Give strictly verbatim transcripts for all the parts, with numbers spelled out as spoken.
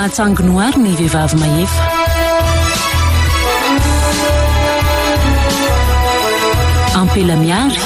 Atsanginoary ny vehivavy mahefa. Ampela miary.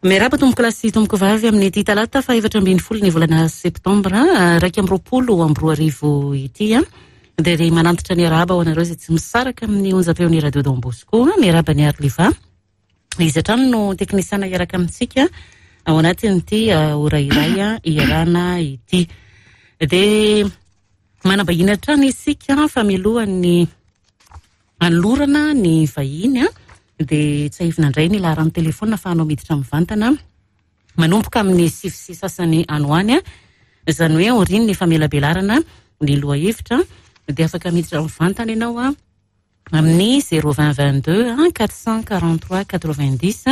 Miarahaba tompoko lahy sy tompoko vavy amin'ity talata faha-efatra ambin'ny folo ny volana septambra iraika amby roapolo amby roa arivo ity. Dia ry manantitra ny arahaba ho anareo izay tsy misaraka amin'ny onjam-peon'ny Radio Don Bosco. Miarahaba ny Arliva. Izy hatrany no teknisiana hiaraka amintsika ao anatin'ity ora iray iarahana ity. Dia manambahiny hatrany isika fa mialohan'ny anolorana ny vahiny dia tsiahivina indray ny laharan'ny telefona ahafahanao miditra mivantana manomboka amin'ny sivy sy sasany any ho any, izany hoe aorian'ny famelabelarana ny lohahevitra dia afaka miditra mivantana ianao amin'ny zéro vingt vingt-deux quatre cent quarante-trois quatre-vingt-dix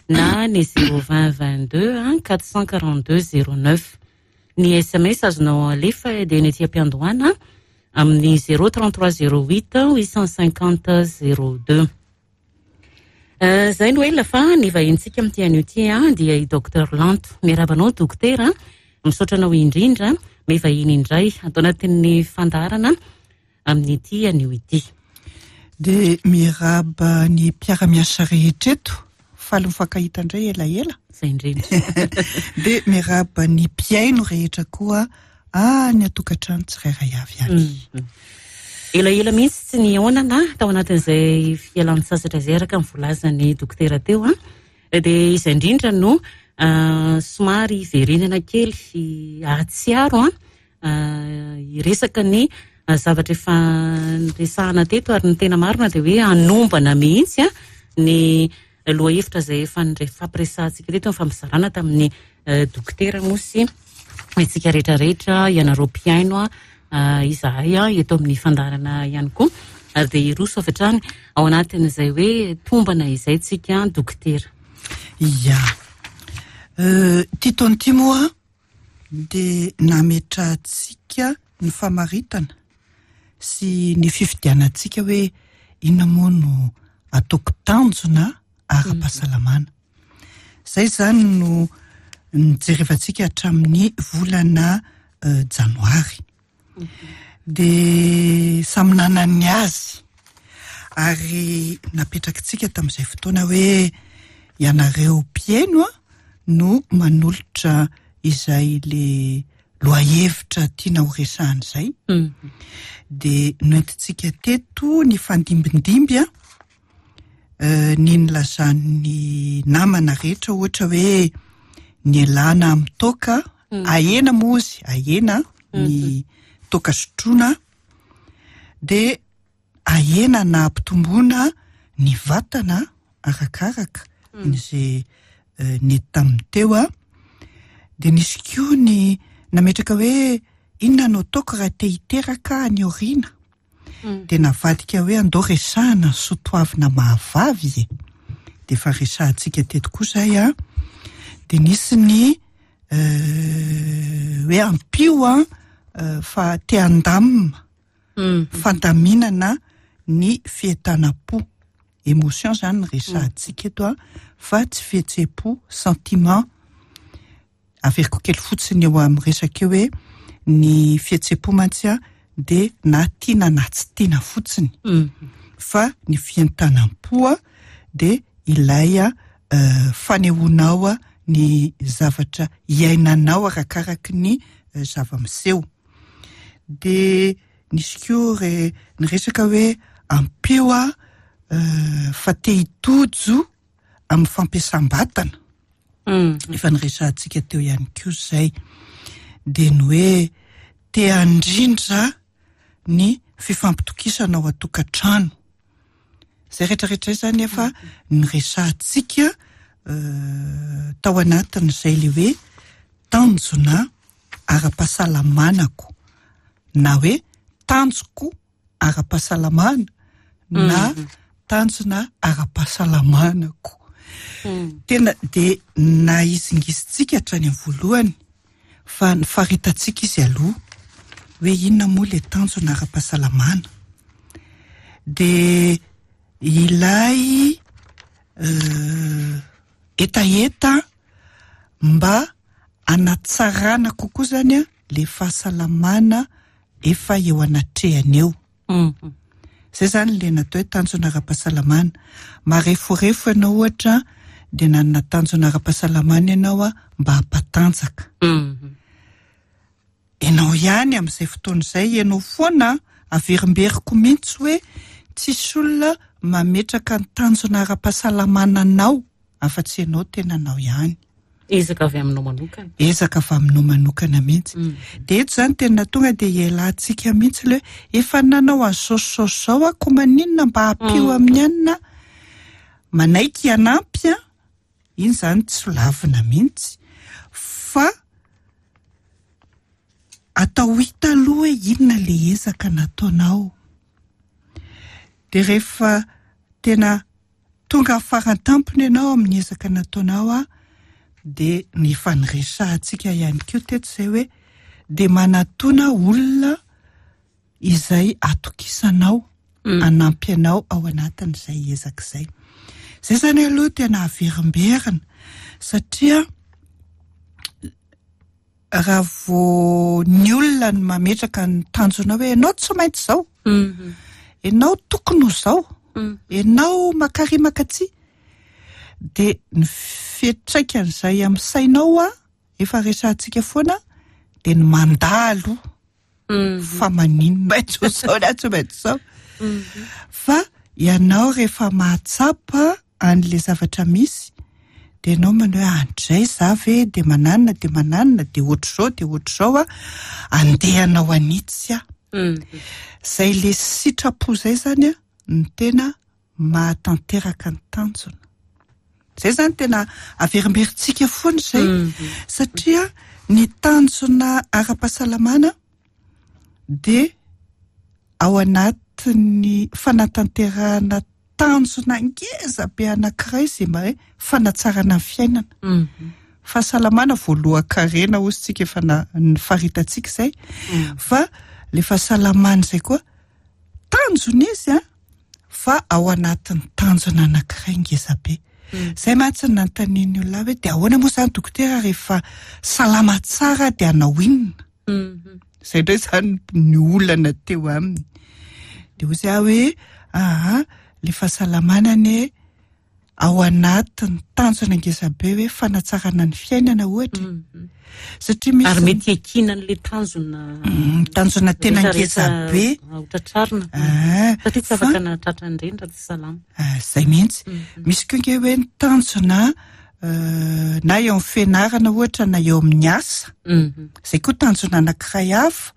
na ny zéro vingt vingt-deux quatre cent quarante-deux zéro neuf. Ny S M S azonao alefa dia ny ety am-piandohana amin'ny zéro trente-trois zéro huit huit cent cinquante zéro deux. Izay no ela fa ny vahintsika amin'ity anio ity dia i Docteur Lanto. Miarahaba anao dokotera, misaotra anao indrindra mivahiny indray ato anatin'ny fandaharana amin'ity anio ity. Dia miarahaba ny mpiara-miasa rehetra eto, faly mifankahita indray elaela. Izay indrindra. Dia miarahaba ny mpihaino rehetra koa any an-tokantrano tsirairay avy any. Elaela mihitsy tsy nihaonana tao anatin'izay fialan-tsasatra izay araka ny voalazan'ny dokotera teo. Dia izay indrindra no somary hiverenana kely hahatsiaro hiresaka ny zavatra efa niresahana teto, ary ny tena marina dia hoe hanombana mihitsy ny lohahevitra izay efa nifampiresahantsika teto, nifampizarana tamin'ny dokotera moa sy isika rehetrarehetra, ianareo mpihaino izahay eto amin'ny fandaharana ihany koa. Ary dia hiroso avy hatrany ao anatin'izay hoe tombana izay tsika dokotera. Ia. Ity taona ity moa dia nametrahantsika ny famaritana sy ny fifidianantsika hoe inona moa no ataoko tanjona ara-pahasalamana. Izay izany no nijerevantsika hatramin'ny volana janoary. Dia samy nanany azy ary napetrakitsika tamin'izay fotoana hoe ianareo mpihaino no manolotra izay le lohahevitra tiana ho resahana izay. Dia noentintsika teto ny fandimbindimby ny nilazan'ny namana rehetra, ohatra hoe ny elana amin'ny toaka, ahena moa izy, ahena ny toaka sotroina, dia ahena na ampitomboana ny vatana arakaraka izay nety tamin'ny teo. Dia nisy koa ny nametraka hoe inona no ataoko raha te hiteraka any aoriana. Dia navadika hoe andao resahana ny soatoavina mahavavy e. Dia efa resahantsika teto koa izay. Dia nisy ny hoe ampio fa te handamina fandaminana ny fientanam-po. Émotion zany ny resahantsika eto fa tsy fihetseham-po, sentiment. Averiko kely fotsiny eo amin'ny resaka eo hoe ny fihetseham-po mantsy dia na tiana na tsy tiana fotsiny. Fa ny fientanam-po dia ilay fanehoanao ny zavatra iainanao arakaraky ny zava-miseho. Dia nisy koa re ny resaka hoe ampio fa te hitojo amin'ny fampiasam-batana. Efa niresahantsika teo ihany koa izay. Dia ny hoe te handrindra ny fifampitokisana ao an-tokantrano. Izay rehetrarehetra izay zany efa niresahantsika tao anatin'izay le hoe tanjona ara-pahasalamanako na hoe tanjoko ara-pahasalamana na tanjona ara-pahasalamanako. Tena de nahizingizitsika hatrany amin'ny voalohany fa ny faritantsika izy aloha hoe inona moa le tanjona ara-pahasalamana. De ilay hetaheta mba anatsarana kokoa zany a le fahasalamana efa eo anatrehany eo. Zay zany le natao hoe tanjona ara-pahasalamana. Mareforefo ianao ohatra de nanana tanjona ara-pahasalamana ianao a mba hampatanjaka. Ianao ihany amin'izay fotoana izay, ianao foana averimberiko mihitsy hoe tsisy olona mametraka ny tanjona ara-pahasalamana anao afa-tsy ianao tenanao ihany. Ezaka avy aminao manokana. Ezaka avy aminao manokana mihitsy. De eto zany tena tonga de ialantsika mihitsy le hoe efa nanao an'izao sy izao sy izao aho ko maninona mba ampio amin'ny anina manaiky hanampy a, iny zany tsy lavina mihitsy fa atao hita aloha hoe inona le ezaka nataonao. De rehefa tena tonga faran-tampony ianao amin'ny ezaka nataonao a, de ny faniresahantsika ihany koa teto izay hoe de manatona olona izay atokisanao hanampy anao ao anatin'izay ezaka izay. Zay zany aloha tena averimberina satria raha vao ny olona no mametraka ny tanjona hoe ianao tsy maintsy izao, ianao tokony ho izao, ianao makary makatsy, de ny fiantraikan'izay amin'ny sainao a efa resahantsika foana de ny mandà aloha fa maninona maintsy ho izao na tsy maintsy izao. Fa ianao rehefa mahatsapa an'le zavatra misy de ianao manao hoe andray za ve de mananona de mananona de ohatr'izao de ohatr'izao a andeha hanao anitsy aho. Zay le sitrapo zay zany a no tena mahatanteraka ny tanjona. Zay zany tena averimberintsika foana izay satria ny tanjona ara-pahasalamana de ao anatin'ny fanatanterahana tanjona ngeza be anankiray izay mba hoe fanatsarana ny fiainana. Fahasalamana voalohan-karena hozy tsika efa na- ny faritantsika izay fa le fahasalamana izay koa tanjona izy a fa ao anatin'ny tanjona anankiray ngeza be. Zay mantsy no nanontanian'ny olona hoe de ahoana moa zany dokotera rehefa salama tsara de hanao inona? Zay indray zany ny olana teo aminy. De hoy aho hoe aha le fahasalamana anie ao anatin'ny tanjona ngeza be hoe fanatsarana ny fiainana ohatra. Satria misy Ary mety hiankinan'le tanjona tanjona tena ngeza be. Hotratrarina. Ah, Satria tsy fa- afaka nahatratra an'ireny raha tsy salama. Ah, zay mihitsy. Misy koa nge hoe ny tanjona euh, na eo amin'ny fianarana ohatra na eo amin'ny asa. Zay koa tanjona anankiray hafa.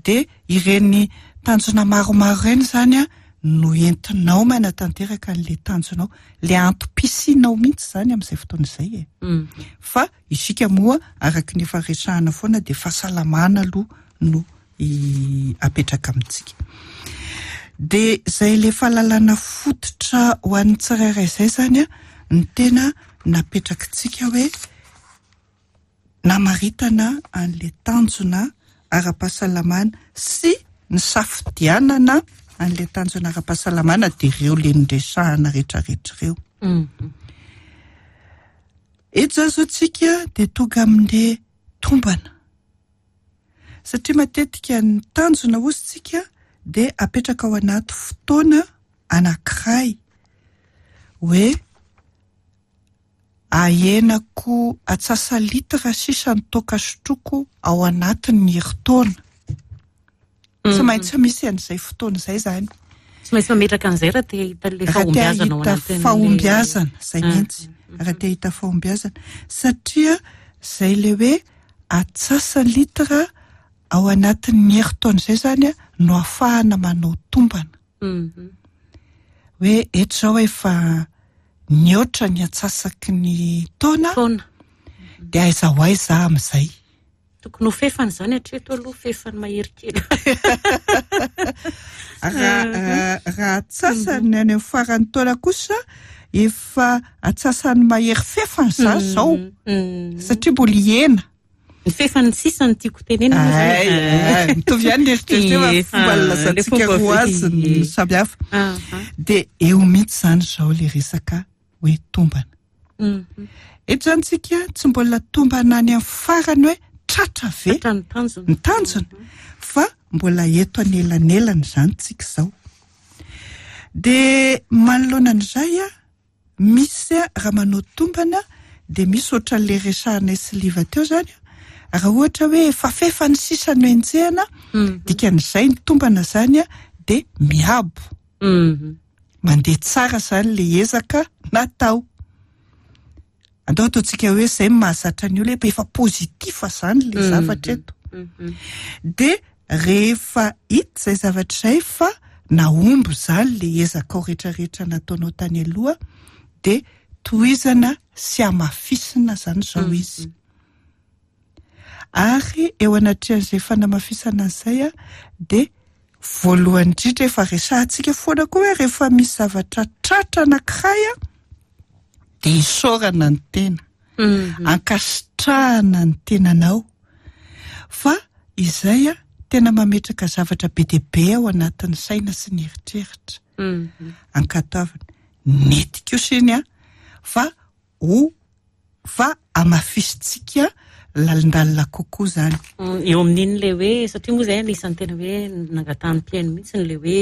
De ireny tanjona maromaro ireny zany a no entinao manatanteraka an'le tanjonao, le antom-pisianao mihitsy zany amin'izay fotoana izay e. Fa isika moa araka ny efa resahana foana de fahasalamana aloha no i- apetraka amintsika. De zay le fahalalana fototra ho an'ny tsirairay izay zany a ny tena napetrakitsika hoe namaritana an'le tanjona ara-pahasalamana sy ny safidianana an'le tanjona ara-pahasalamana de ireo le niresahana rehetrarehetra ireo. Eto zany zao tsika de tonga amin'le tombana. Satria matetika ny tanjona hozy tsika de apetraka ao anaty fotoana anankiray hoe ahenako atsasa litra sisa ny toaka sotroko ao anatin'ny herintaona. Tsy maintsy misy an'izay fotoana izay zany. Tsy maintsy mametraka an'izay raha te hahita le Raha te fahombiazana ao hahita anatin'le- fahombiazana, zay Ah. mihitsy. Raha te hahita fahombiazana. Satria zay le hoe atsasa litra ao anatin'ny herintaona izay zany a no ahafahana manao tombana. Mhm. Hoe eto zao efa nihoatra ny atsasaky ny taona Taona. de aiza ho aiza amin'izay. Tokony ho fefany zany hatreto aloha, fefany mahery kely. Raha raha atsasany any amin'ny faran'ny taona kosa Efa atsasany mahery fefany za zao satria mbola ihena. Ny fefany sisa ny tiako tenenina. Ay, mitovy ihany ny eritreritra fa fomba nilazantsika roa azy ny samy hafa. De eo mihitsy zany zao le resaka hoe tombana. Eto zany tsika tsy mbola tombana any amin'ny farany hoe tratra ve ny tanjona. Ny tanjona, fa mbola eto anelanelana zany tsika zao. De manoloana an'izay a, misy a, raha manao tombana de misy ohatran'le resahanay sy Liva teo zany, raha ohatra hoe efa fefany sisa no enjehana, dikan'izay ny tombana zany a de miabo, mandeha tsara zany le ezaka natao. Andao ataontsika hoe zay mahazatra ny olona, efa positif zany le zavatra eto. De rehefa hita zay zavatra izay fa nahomby zany le ezaka ao rehetrarehetra nataonao tany aloha, de tohizana sy hamafisina zany zao izy. Ary eo anatrehan'izay fanamafisana an'izay a, de voalohany indrindra efa resahantsika foana koa hoe rehefa misy zavatra tratra anankiray a, de isaorana ny tena, ankasitrahana ny tenanao, fa izay a tena mametraka zavatra be dia be ao anatin'ny saina sy ny eritreritra. Ankatoavina nety kosa iny a, fa ho fa hamafisitsika lalindalina kokoa zany. Eo amin'iny le hoe, satria moa zay anisan'ny tena hoe nangatahany mpihaino mihitsy le hoe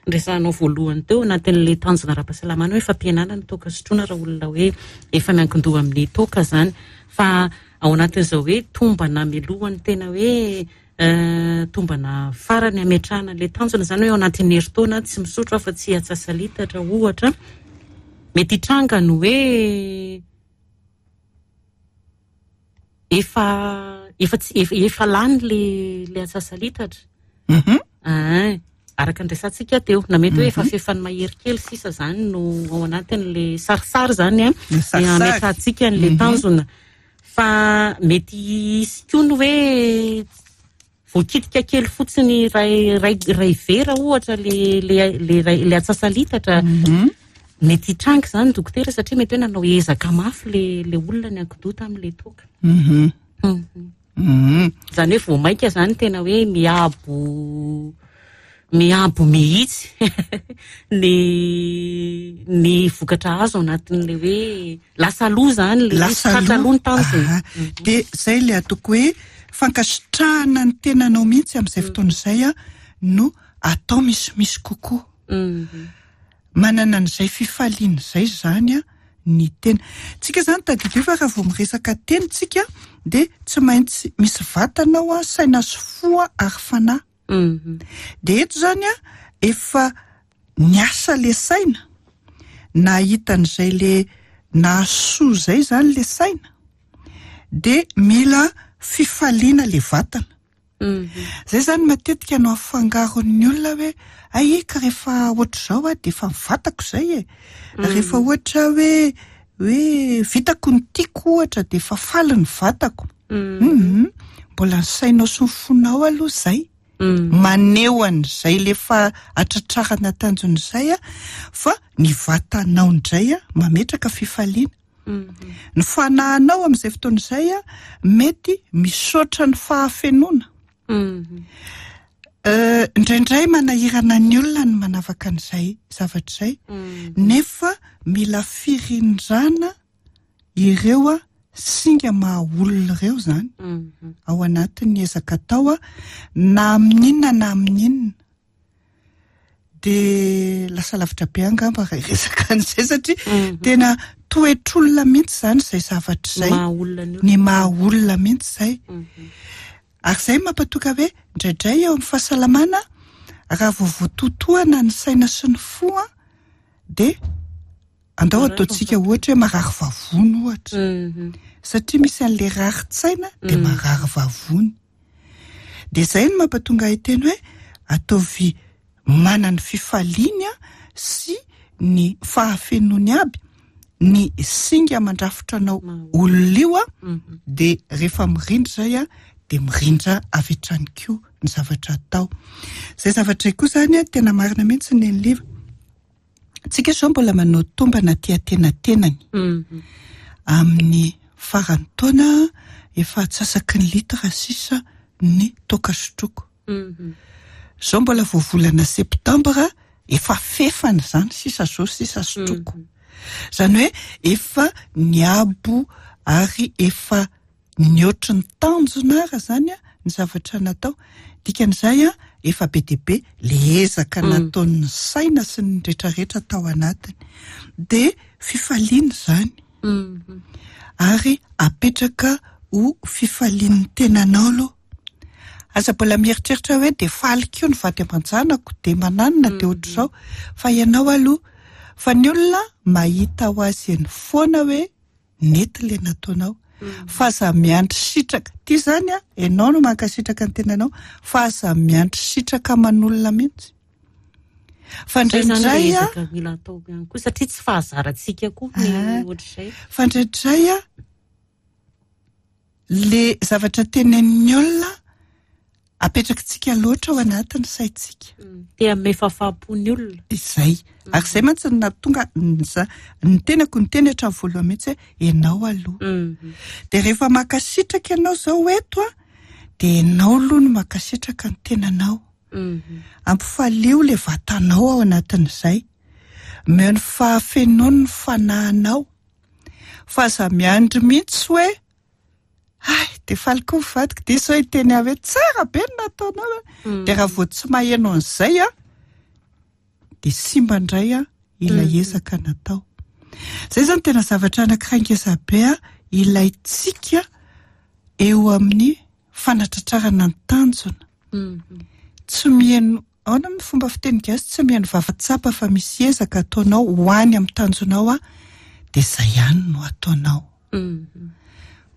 nresahanao voalohany teo anatin'le tanjona ara-pahasalamana hoe fampihenana ny toaka sotroina raha olona hoe efa miankin-doha amin'ny toaka zany. Fa ao anatin'izao hoe tombana milohany tena hoe tombana farany ametrahana le tanjona zany hoe ao anatin'ny herintaona tsy misotro afa tsy atsasa-litatra ohatra, mety hitranga ny hoe efa efa tsy efa, efa lany le le atsasa-litatra. Ah, araka ny resantsika teo, na mety hoe efa fefany mahery kely sisa zany no ao anatin'le sarisary zany a, Le sarisary. ametrahantsika an'le tanjona. Fa mety hisy koa ny hoe voakitika kely fotsiny ray ray ray vera ohatra le le le ray le atsasa-litatra. Mety hitranga zany dokotera satria mety hoe nanao ezaka mafy le le olona ny ankidoha tamin'le toaka. Mhm. Mhm. Mhm. Zany hoe vao mainka zany tena hoe miabo miabo mihitsy ny ny vokatra azo anatin'le hoe lasa aloha zany le Lasa tratra aloha ny tanjona. Aha. De zay le ataoko hoe fankasitrahana ny tenanao mihitsy amin'izay fotoana izay a no atao misimisy kokoa. Mhm. Manana an'izay fifaliana izay zany a ny tena. Tsika zany tadidio fa raha vao miresaka teny tsika de tsy maintsy misy vatana ao a, saina sy fo a, ary fanahy. Mhm. De eto zany a efa niasa le saina, nahita an'izay le nahasoa zay zany le saina, de mila fifaliana le vatana. Mhm. Zay zany matetika no afangaron'ny olona hoe ay ka rehefa ohatr'izao a de efa mivatako zay e. Rehefa ohatra hoe hoe vitako ny tiako ohatra de efa faly ny vatako. Mhm. Mhm. Mbola ny sainao sy ny fonao aloha zay. Mhm. Maneho an'izay le fa atratrarana tanjona izay a, fa ny vatanao indray a mametraka fifaliana. Mhm. Ny fanahinao amin'izay fotoana izay a mety misaotra ny fahafenoana. Mhm. Euh, indraindray manahirana ny olona ny manavaka an'izay zavatra izay, Mhm. nefa mila firindrana ireo a singa maha olona ireo zany Mhm. ao anatin'ny ezaka atao a, na amin'inona na amin'inona. De lasa lavitra be angamba raha hiresaka an'izay satria Mhm. tena toetr'olona mihitsy zany izay zavatra izay. Maha olona ny olona. Ny maha olona mihitsy izay. Mhm. Ary izay mampatoka hoe indraindray eo amin'ny fahasalamana raha vao voatotohana ny saina sy ny fo a, de andao Marary ataontsika ohatra hoe marary vavony ohatra. Mhm. Satria misy an'le rarin-tsaina de Mm. marary vavony. De izay no mampatonga ahy teny hoe ataovy manana ny fifaliany a sy ny fahafenoany aby ny singa mandrafitra anao Maha olona io a, Mhm. de rehefa mirindra zay a de mirindra avy hatrany koa ny zavatra atao. Zay zavatra koa zany a tena marina mihitsy ny Liva. Tsika zao mbola manao tombana aty antenatenany. Mhm. Amin'ny faran'ny taona efa atsasaky ny litra sisa ny toaka sotroko. Mhm. Zao mbola vao volana septambra, efa fefany zany sisa zao sisa sotroko. Zany hoe efa niabo ary efa nihoatry ny tanjona ara zany a ny zavatra natao. Dikan'izay a efa be dia be le ezaka Mm. nataon'ny saina sy ny rehetrarehetra tao anatiny. De fifaliana zany. Mhm. Ary apetraka ho fifalian'ny tenanao aloha. Aza mbola mieritreritra hoe de faly koa ny vady aman-janako, de mananona, de ohatr'izao. Fa ianao aloha, fa ny olona mahita ho azy eny foana hoe nety le nataonao. Fa aza miandry sitraka. Ty zany a, ianao no mankasitraka ny tenanao, fa aza miandry sitraka aman'olona mihitsy. Fa Zay zany le indraindray a, ezaka mila atao ihany koa, satria tsy fahazarantsika koa ny Ah. ohatr'izay. Fa indraindray a, le zavatra tenenin'ny olona apetrakitsika loatra ao anatin'ny saintsika. Mm. Te hanome fahafaham-po ny olona. Izay. Ary izay mantsy no nahatonga ny za- ny tenako niteny hatramin'ny voalohany mihitsy hoe ianao aloha. Mhm. De rehefa mankasitraka ianao zao eto a, de ianao aloha no mankasitraka ny tenanao. Mhm. Ampifalio le vatanao ao anatin'izay. Omeo ny fahafenoany ny fanahinao. Fa aza miandry mihitsy hoe ay, de faly koa ny vadiko, de izao hiteny ahy hoe tsara be ny nataonao. Mm. De raha vao tsy maheno an'izay a, de simba indray a ilay Mm. ezaka natao. Zay zany tena zavatra anankiray ngeza be a ilaintsika eo amin'ny fanatratrarana ny tanjona. Mhm. Tsy mihaino, ahoana ny fomba fiteny gasy, tsy mihaino vava-tsapa fa misy ezaka ataonao ho any amin'ny tanjonao a, de zay ihany no ataonao. Mhm.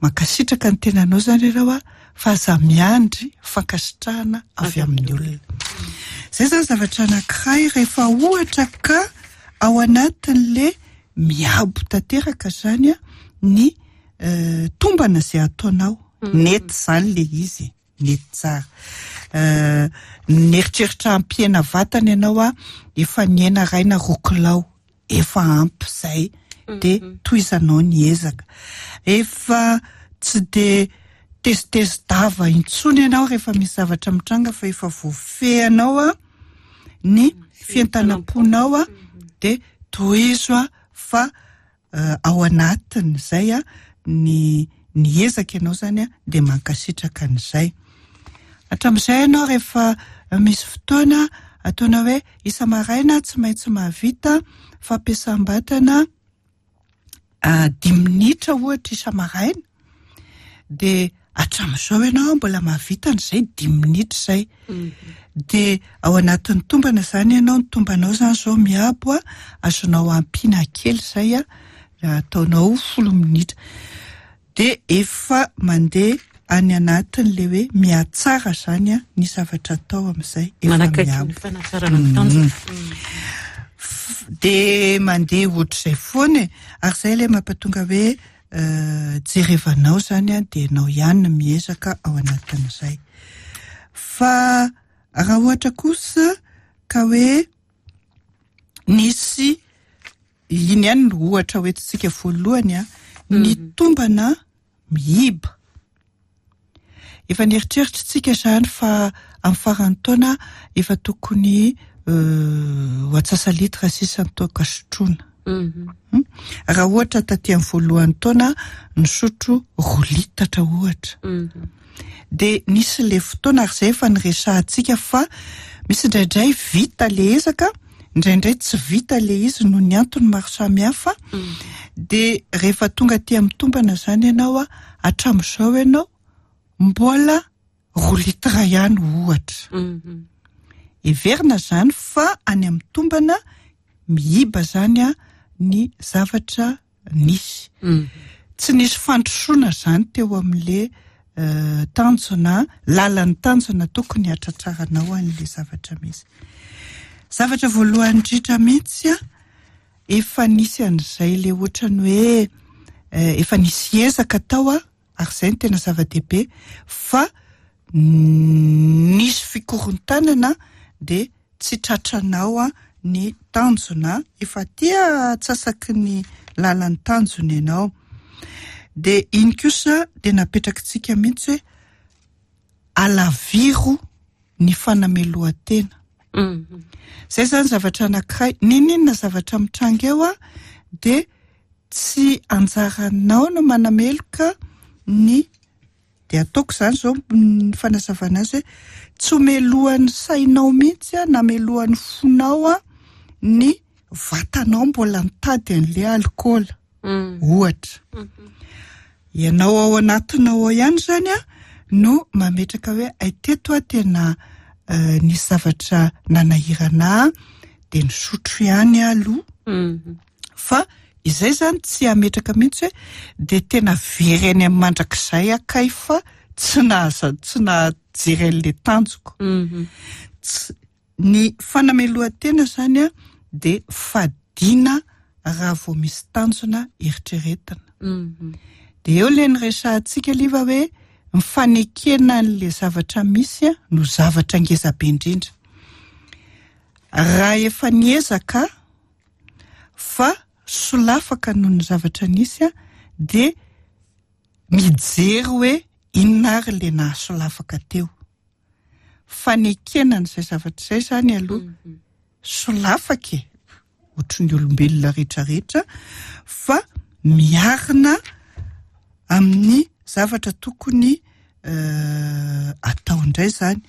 Mankasitraka ny tenanao zany ianao a, fa aza miandry fankasitrahana avy amin'ny olona. Zay zany zavatra anankiray rehefa ohatra ka ao anatin'le miabo tanteraka zany a ny eh, tombana izay ataonao. Nety zany le izy, nety tsara. Eh, nieritreritra hampihena vatana ianao a, efa nihena iray na roa kilao, efa ampy zay, de tohizanao ny ezaka. Efa tsy de tezitezi-dava intsony ianao rehefa misy zavatra mitranga fa efa voafehinao a ny fientanam-ponao a, de tohizo a fa eh, ao anatin'izay a ny ny ezaka ianao zany a de mankasitraka an'izay. Hatramin'izay ianao rehefa misy fotoana ataonao hoe isa-maraina tsy maintsy mahavita fampiasam-batana ah, dimy minitra ohatra isa-maraina, de hatramin'izao ianao mbola mahavita an'izay dimy minitra izay. Mhm. De ao anatin'ny tombana zany ianao, ny tombanao zany zao miabo a, azonao ampiana kely izay a, ataonao folo minitra. De efa mandeha any anatin'le hoe mihatsara zany a ny zavatra atao amin'izay efa Manakaiky miabo. ny fanatsarana ny tanjona. F- De mandeha ohatr'izay foana e. Ary izay ilay mampatonga hoe eh, jerevanao zany a, de ianao ihany no miezaka ao anatin'izay. Fa raha ohatra kosa ka hoe nisy iny ihany no ohatra hoentintsika voalohany a, ny tombana miiba. Efa nieritreritra tsika zany fa amin'ny faran'ny taona efa tokony eh, ho atsasa litra sisa ny toaka sotroina. Mhm. Hmm? Raha ohatra taty amin'ny voalohan'ny taona nisotro roa litatra ohatra. Mhm. De nisy le fotoana ary izay efa niresahantsika fa misy indraindray vita le ezaka, indraindray tsy vita le izy noho ny antony maro samihafa. De rehefa tonga aty amin'ny tombana zany ianao a, hatramin'izao ianao mbola roa litra ihany ohatra. Mhm. Heverina zany fa any amin'ny tombana miiba zany a ny zavatra nisy. Mhm. Tsy nisy fandrosoana zany teo amin'le eh, tanjona, lalan'ny tanjona tokony hatratraranao an'le zavatra misy. Zavatra voalohany indrindra mihitsy a, efa nisy an'izay le ohatrany hoe eh, efa nisy ezaka tao a, ary izay no tena zava-dehibe fa nisy fikorontanana de tsy tratranao a ny tanjona, efa tia atsasaky ny lalan'ny tanjona ianao. De iny kosa de napetrakitsika mihitsy hoe alaviro ny fanamelohan-tena. Zay zany zavatra anankiray, n'inon'inona zavatra mitranga eo a de tsy anjaranao no manameloka ny, de ataoko zany zao ny fanazavana azy hoe tsy ho melohan'ny sainao mihitsy a na melohan'ny fonao a ny vatanao mbola nitady an'le alikaola ohatra. Ianao ao anatinao ao ihany zany a no mametraka hoe ay teto a tena nisy zavatra nanahirana de nisotro ihany aloha. Fa izay zany tsy ametraka mihitsy hoe de tena very any amin'ny mandrakizay akay fa tsy nahaza tsy nahajery an'le tanjoko. Tsy ny fanamelohan-tena zany a de fadiana raha vao misy tanjona eritreretina. De eo le niresahantsika liva hoe mifanekena an'le zavatra misy a no zavatra ngeza be indrindra. Raha efa niezaka fa solafaka noho ny zavatra nisy a de mijery hoe inona ary le nahasolafaka teo. Fanekena an'izay zavatra izay zany aloha solafaka e, ohatry ny olombelona rehetrarehetra, fa miarina amin'ny zavatra tokony atao indray zany.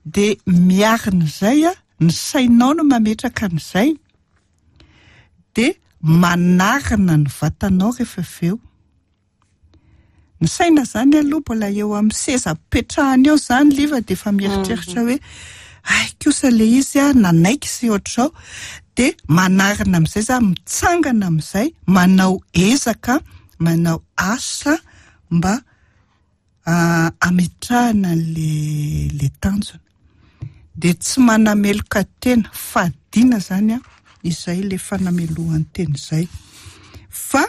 De miarina izay a, ny sainao no mametraka an'izay, de manarina ny vatanao rehefa avy eo. Ny saina zany aloha mbola eo amin'ny seza petrahana eo zany liva de efa mieritreritra hoe ay kosa le izy a nanaiky sy ohatr'izao, de manarina amin'izay zany, mitsangana amin'izay, manao ezaka, manao asa mba ametrahana le le tanjona. De tsy manameloka tena, fadiana zany a izay le fanamelohan-tena izay, fa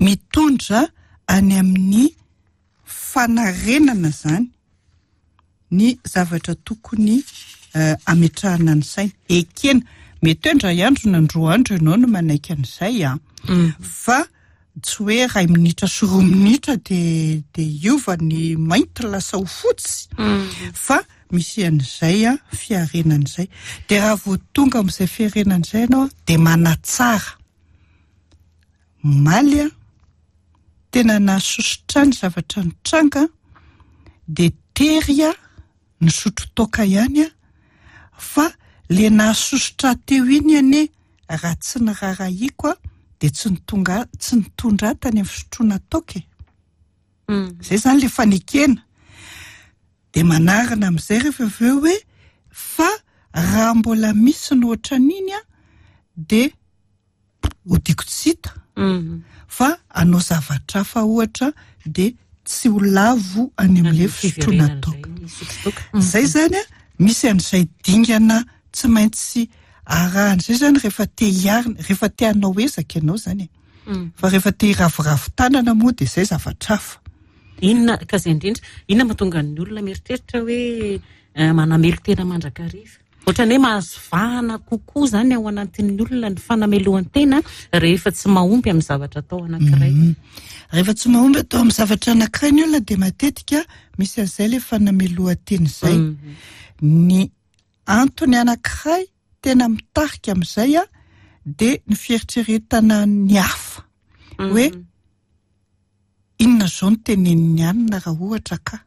mitondra any amin'ny fanarenana zany ny zavatra tokony ametrahana ny saina. Ekena, mety hoe indray andro na indroa andro ianao no manaiky an'izay a, fa tsy hoe iray minitra sy roa minitra de de hiova ny mainty lasa ho fotsy, fa misy an'izay a fiarenan'izay. De raha vao tonga amin'izay fiarenan'izay ianao de manatsara. Maly a tena nahasosotra ny zavatra nitranga, de tery a nisotro toaka ihany a, fa le nahasosotra teo iny anie raha tsy niraharahiako a de tsy nitonga tsy nitondra ahy tany amin'ny fisotroana toaka e. Zay zany le fanekena. De manarina amin'izay rehefa avy eo hoe fa raha mbola misy ny ohatran'iny a de hodiako tsy hita, fa hanao zavatra hafa ohatra de tsy ho lavo any amin'ilay fisotroana toaka. Zay zany a misy an'izay dingana tsy maintsy arahan'izay zany rehefa te hiarina, rehefa te hanao ezaka ianao zany e. Fa rehefa te hiraviravy tanana moa de zay zavatra hafa. Inona ka zay indrindra, inona mahatonga ny olona mieritreritra hoe manamelo tena mandrakariva? Ohatran'ny hoe mahazo vahana kokoa zany ao anatin'ny olona ny fanamelohan-tena rehefa tsy mahomby amin'ny zavatra atao anankiray. Rehefa tsy mahomby atao amin'ny zavatra anankiray ny olona de matetika misy an'izay le fanamelohan-tena izay. Ny antony anankiray tena mitarika amin'izay a de ny fieritreretana ny hafa. Hoe inona zao no tenenin'ny anina raha ohatra ka?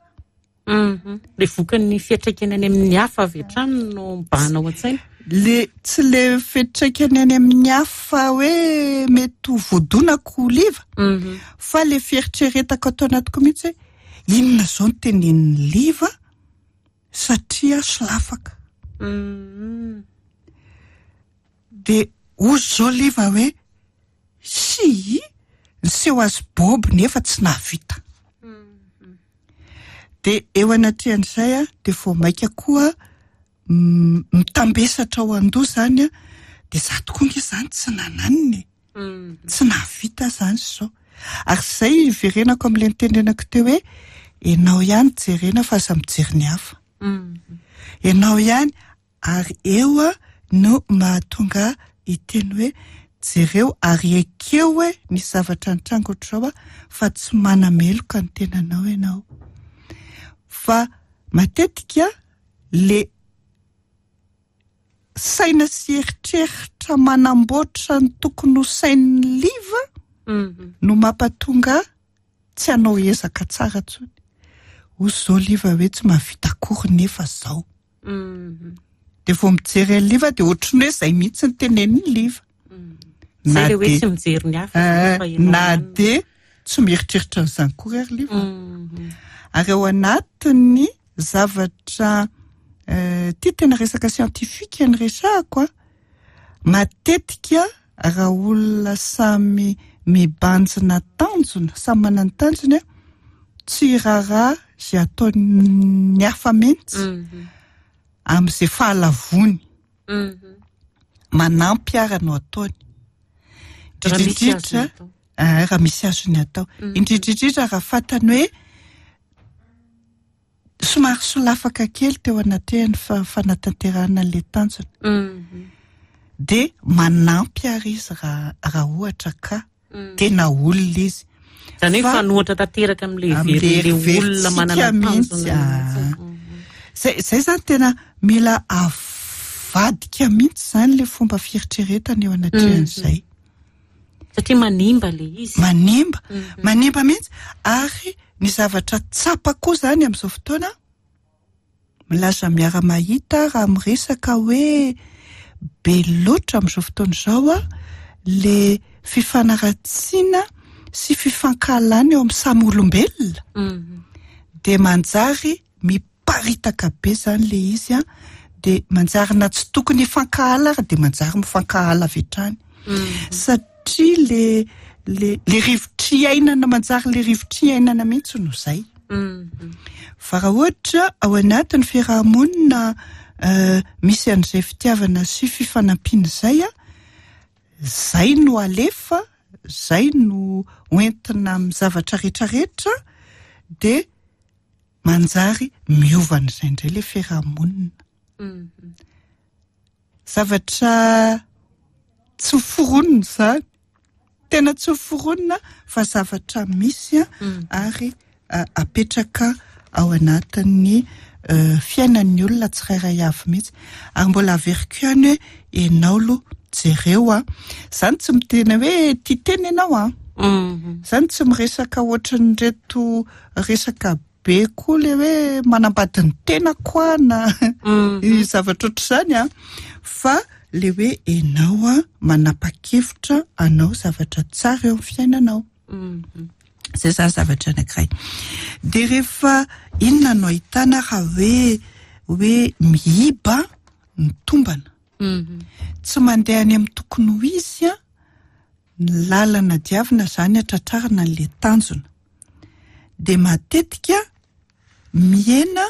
Le vokan'ny fiantraikany any amin'ny hafa avy hatrany no mibahana ao an-tsaina. Le tsy le fiantraikany any amin'ny hafa hoe mety ho voadonako liva, fa le fieritreretako atao anatiko mihitsy hoe inona zao no tenenin'ny liva satria solafaka. De ozy zao liva hoe si niseho azy bobo nefa tsy nahavita. De eo anatrehan'izay a de vao maika koa mitambesatra ao an-doha zany a, de za tokoa nge zany tsy nananina e, tsy nahavita zany zao. Ary zay iverenako amin'ilay nitenenako teo hoe ianao ihany jerena fa aza mijery ny hafa. Ianao ihany, ary eo a no mahatonga hiteny hoe jereo ary ekeo hoe nisy zavatra nitranga ohatr'izao a, fa tsy manameloka ny tenanao ianao. Fa matetika le saina sy eritreritra manamboatra ny tokony ho sain'ny Liva no mampatonga tsy hanao ezaka tsara intsony. Hoy izao Liva hoe tsy mahavita akory nefa zao. De vao mijery an'ny Liva de ohatran'ny hoe zay mihitsy ny tenenin'ny Liva. Zay le hoe tsy mijery ny hafa fa ianao na ihany. de tsy mieritreritra an'izany koa ary Liva. Ary ao anatin'ny zavatra ty tena resaka siantifika ny resahako a, matetika raha olona samy mibanjina tanjona, samy manana ny tanjony a, tsy raharaha izay ataon'ny hafa mihitsy amin'izay fahalavony. Manampy ara no ataony. Raha misy Indrindra azony atao. Ah, raha misy azony atao. Indrindrindrindra raha fantany hoe somary solafaka kely teo anatrehan'ny fa- fanatanterahana an'ilay tanjona. De manampy ary izy raha raha ohatra ka tena olona izy. Zany hoe Fa- fanohatra tanteraka amin'ilay Amin'ilay heverin'ilay olona heverintsika manana mihitsy, tanjona ah. mihitsy. Zay, zay zany tena mila avadika mihitsy zany le fomba fieritreretana eo anatrehan'izay. Satria manimba le izy. Manimba, manimba mihitsy. Ary ny zavatra tsapa koa zany amin'izao fotoana, milaza miara-mahita raha miresaka hoe be loatra amin'izao fotoana izao a, le fifanaratsiana sy fifankahalana eo amin'ny samy olombelona. De manjary miparitaka be zany le izy a, de manjary na tsy tokony hifankahala ary de manjary mifankahala avy hatrany. Satria le le le rivotra iainana, manjary le rivotra iainana mihitsy no zay. Fa raha ohatra ao anatin'ny fiarahamonina misy an'izay fitiavana sy fifanampiana izay a, zay no alefa, zay no hoentina amin'ny zavatra rehetrarehetra, de manjary miova an'izay indray le fiarahamonina. Zavatra tsy foronina izany, tena tsy foronina fa zavatra misy a, ary apetraka ao anatin'ny fiainan'ny olona tsirairay avy mihitsy. Ary mbola averiko ihany hoe ianao aloha jereo a, zany tsy miteny hoe tia tena ianao a, zany tsy miresaka ohatran'ireto resaka be koa le hoe manambady ny tena koa na zavatra ohatr'izany a, fa le hoe ianao a manapa-kevitra anao zavatra tsara eo amin'ny fiainanao. Zay zany zavatra anankiray. De rehefa inona no ahitana raha hoe hoe miiba ny tombana, tsy mandeha any amin'ny tokony ho izy a, ny lalana diavina zany atratrarana an'le tanjona. De matetika mihena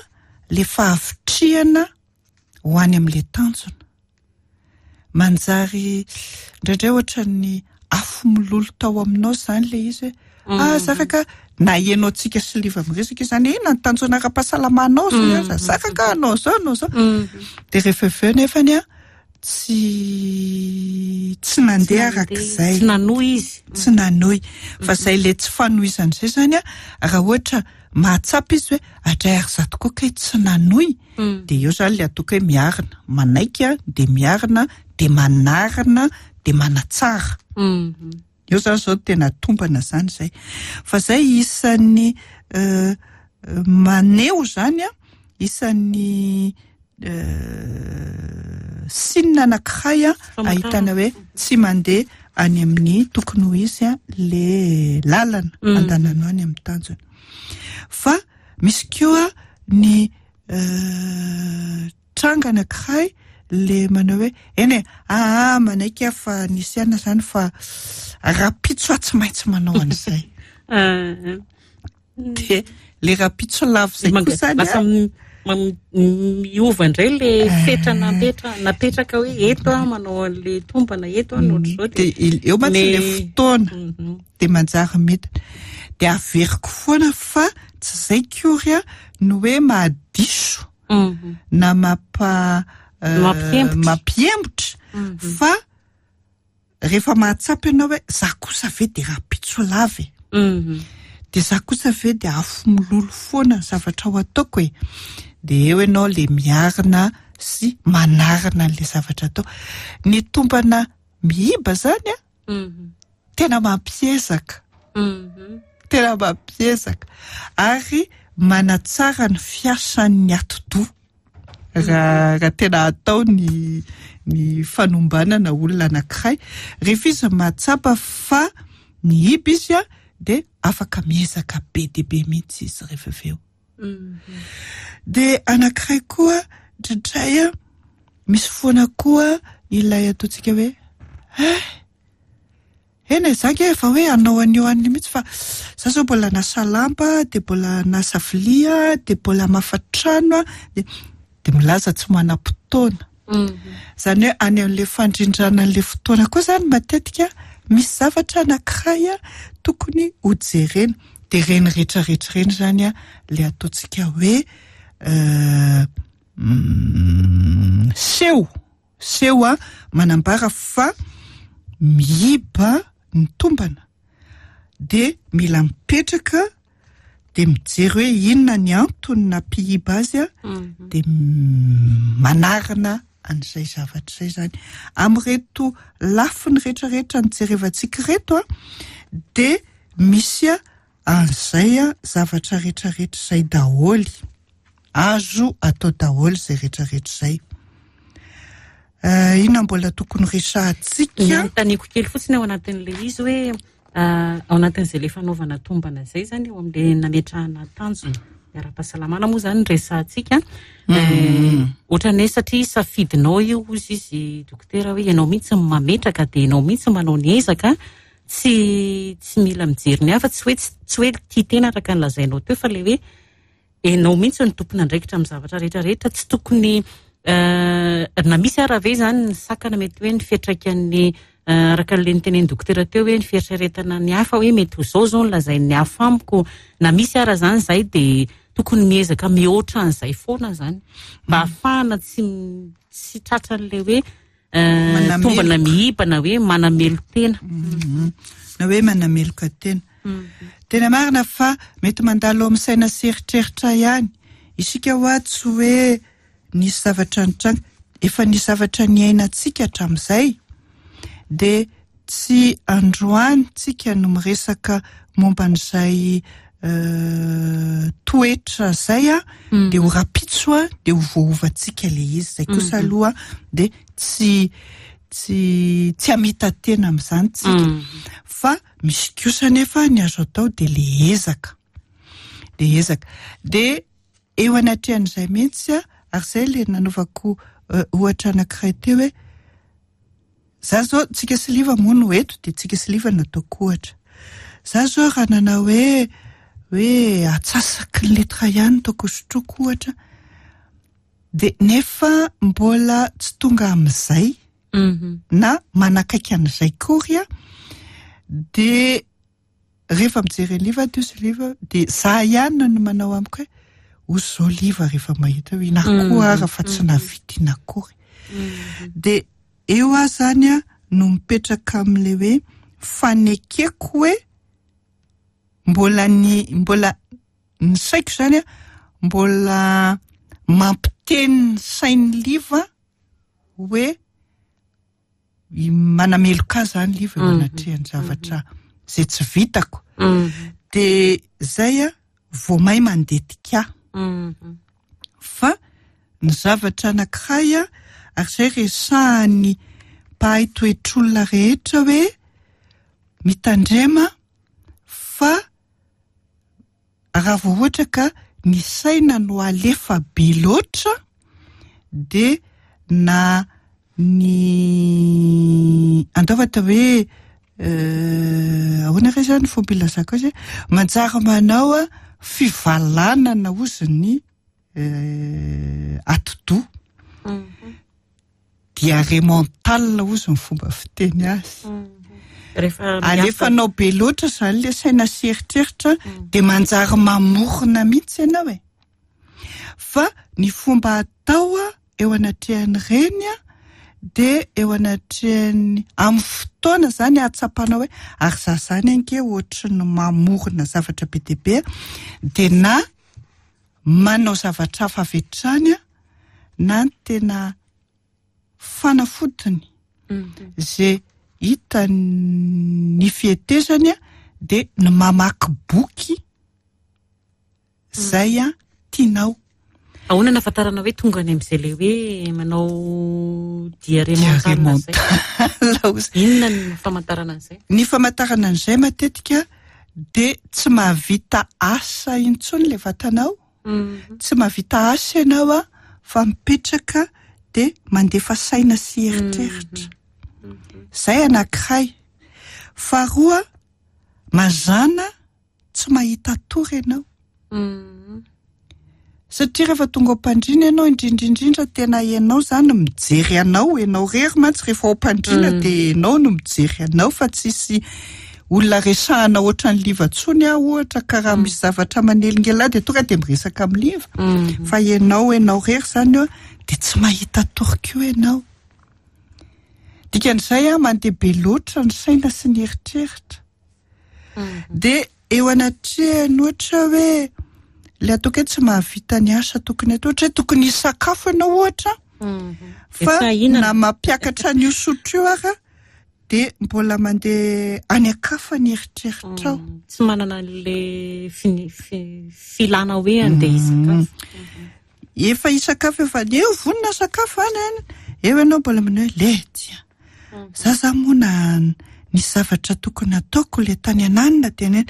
le fahavitrihana ho any amin'le tanjona. Manjary indraindray ohatran'ny afo milolo tao aminao zany le izy hoe ah zaraka na ianao antsika sy Liva miresaka izany, inona ny tanjona ara-pahasalamanao zany, zaraka anao zao anao zao. De rehefa avy eo nefany a tsy tsy nandeha arak'izay. Tsy nanohy izy. Tsy nanohy. Fa zay le tsy fanohizan'izay zany a, raha ohatra mahatsapa izy hoe adray ary za tokoa kay tsy nanohy, de eo zany le ataoko hoe miarina, manaiky a, de miarina, de manarina, de manatsara. Eo zany zao tena tombana zany zay. Fa zay isan'ny maneho zany a, isan'ny signe anankiray a ahitana hoe tsy mandeha any amin'ny tokony ho izy a le lalana andananao any amin'ny tanjona. Fa misy koa ny tranga anankiray le manao hoe eny e, aa manaiky aho fa nisy aina zany fa rahampitso aho tsy maintsy manao an'izay. De le rahampitso lavo zay koa zany Lasa a. miova indray le fetra napetra napetraka hoe eto aho manao an'le tombana eto aho ohatr'izao. De eo mantsy le fotoana de manjary midina. De averiko foana fa tsy zay kory a no hoe mahadiso na mampa Mampiembotra. Fa rehefa mahatsapa ianao hoe za kosa ve de rahampitso lava e, de za kosa ve de afo mololo foana ny zavatra ho ataoko e, de eo ianao le miarina sy manarina an'le zavatra atao. Ny tombana miiba zany a tena mampiezaka, tena mampiezaka ary manatsara ny fiasan'ny atidoha raha raha tena atao ny ny fanombanana olona anankiray. Rehefa izy mahatsapa fa miiba izy a de afaka miezaka be de be mihitsy izy rehefa avy eo. De anankiray koa indraindray a misy foana koa ilay ataontsika hoe eh eny e, za nge efa hoe hanao an'io an'io mihitsy, fa za zao mbola nasa lamba, de mbola nasa vilia, de mbola hamafa trano a, de de milaza tsy manam-potoana. Zany hoe any amin'le fandrindrana an'le fotoana koa zany matetika misy zavatra anankiray a tokony ho jerena. De reny rehetrarehetra reny zany a le ataontsika hoe seho seho a manambara fa miiba ny tombana, de mila mipetraka de mijery hoe inona ny antony nampiiba azy a, de manarina an'izay zavatra izay zany. Amin'ireto lafiny rehetrarehetra nijerevantsika ireto a de misy a an'izay a zavatra rehetrarehetra izay daholy, azo atao daholy izay rehetrarehetra izay. Inona mbola tokony resahantsika? Ny anontaniako kely fotsiny ao anatin'ilay izy hoe ao anatin'izay le fanaovana tombana izay zany, eo amin'ilay nametrahana tanjona ara-pahasalamana moa zany resahantsika. Ohatran'ny hoe satria safidinao io ozy izy dokotera hoe ianao mihitsy no mametraka, de ianao mihitsy manao ny ezaka, tsy tsy mila mijery ny hafa, tsy hoe tsy hoe tia tena araka ny lazainao teo, fa le hoe ianao mihitsy no tompon'andraikitra amin'ny zavatra rehetrarehetra. Tsy tokony na misy ara ve zany ny sakana mety hoe ny fiantraikan'ny araka an'ilay nitenen'ny dokotera teo hoe ny fieritreretana ny hafa hoe mety ho zao zao ny lazain'ny hafa amiko, na misy ara zany zay de tokony miezaka mihoatra an'izay foana zany mba ahafahana tsy tsy tratran'ilay hoe tombana miiba na hoe manamelo tena. Na hoe manameloka tena. Tena marina fa mety mandalo amin'ny saina sy eritreritra ihany isika hoa tsy hoe nisy zavatra nitranga, efa nisy zavatra niainantsika hatramin'izay, de tsy androany tsika no miresaka momba an'izay toetra zay a, de ho rapitso a de ho voaovantsika le izy. Zay kosa aloha de tsy tsy tsy hamita tena amin'izany tsika. Fa misy kosa nefa ny azo atao de le ezaka, de ezaka de eo anatrehan'izay mihitsy a. Ary zay le nanaovako ohatra anankiray teo hoe za zao tsika sy Liva moa no eto, de tsika sy Liva no ataoko ohatra. Za zao raha nanao hoe hoe atsasaky ny litra ihany taoko sotroiko ohatra, de nefa mbola tsy tonga amin'izay na manakaiky an'izay kory a, de rehefa mijery ny Liva teo sy Liva de za ihany no manao amiko hoe ho zao Liva rehefa mahita hoe ina koa ara fa tsy nahavita ina akory. De eo aho zany a no mipetraka amin'ilay hoe fanekeko hoe mbola ny mbola ny saiko zany a mbola mampiteny ny sain'ny Liva hoe manameloka ahy zany Liva eo anatrehan'ny zavatra izay tsy vitako. De zay a vao may mandetika ahy. Fa ny zavatra anankiray a, ary zay resahan'ny mpahay toetr'olona rehetra hoe mitandrema fa raha vao ohatra ka ny saina no alefa be loatra de na ny andao atao hoe ahoana re zany fomba ilazako azy, manjary manao a fivalanana ozy ny atidoha, diarrhée mentale ozy ny fomba fiteny azy. Alefanao be loatra zany le saina sy eritreritra de manjary mamorona mihitsy ianao e. Fa ny fomba atao a eo anatrehan'ireny a de eo anatrehan'ny amin'ny fotoana zany ahatsapanao hoe ary za zany anke ohatry ny mamorona zavatra be dia be, de na manao zavatra hafa avy hatrany a na ny tena fanafodiny zay hita ny fihetezany a de ny mamaky boky zay a tianao. Ahoana nahafantarana hoe tonga any amin'izay le hoe manao diarrhée mentale zay? Inona ny famantarana an'izay? Ny famantarana an'izay matetika de tsy mahavita asa intsony le vatanao, tsy mahavita asa ianao a fa mipetraka de mandefa saina sy eritreritra. Zay anankiray. Faharoa, mazàna tsy mahita tory ianao. Satria rehefa tonga ao am-pandriana ianao, indrindrindrindra tena ianao zany mijery anao, ianao rery mantsy rehefa ao am-pandriana de ianao no mijery anao fa tsisy olona resahana ohatran'ny Liva tsony aho ohatra ka raha misy zavatra manelingelina de tonga de miresaka amin'ny Liva. Fa ianao ianao rery zany eo de tsy mahita tory koa ianao. Dikan'izay a mandeha be loatra ny saina sy ny eritreritra. De eo anatrehany ohatra hoe le ataoko hoe tsy mahavita ny asa tokony atao, ohatra hoe tokony hisakafo ianao ohatra fa na mampiakatra an'io sotro io ara de mbola mandeha any an-kafa ny eritreritrao. Tsy manana an'le fini- fi- filana hoe andeha hisakafo. Efa hisakafo, efa eo vonona sakafo any any eo ianao mbola manao hoe le tia za za moa na nisy zavatra tokony ataoko le tany ananina de neny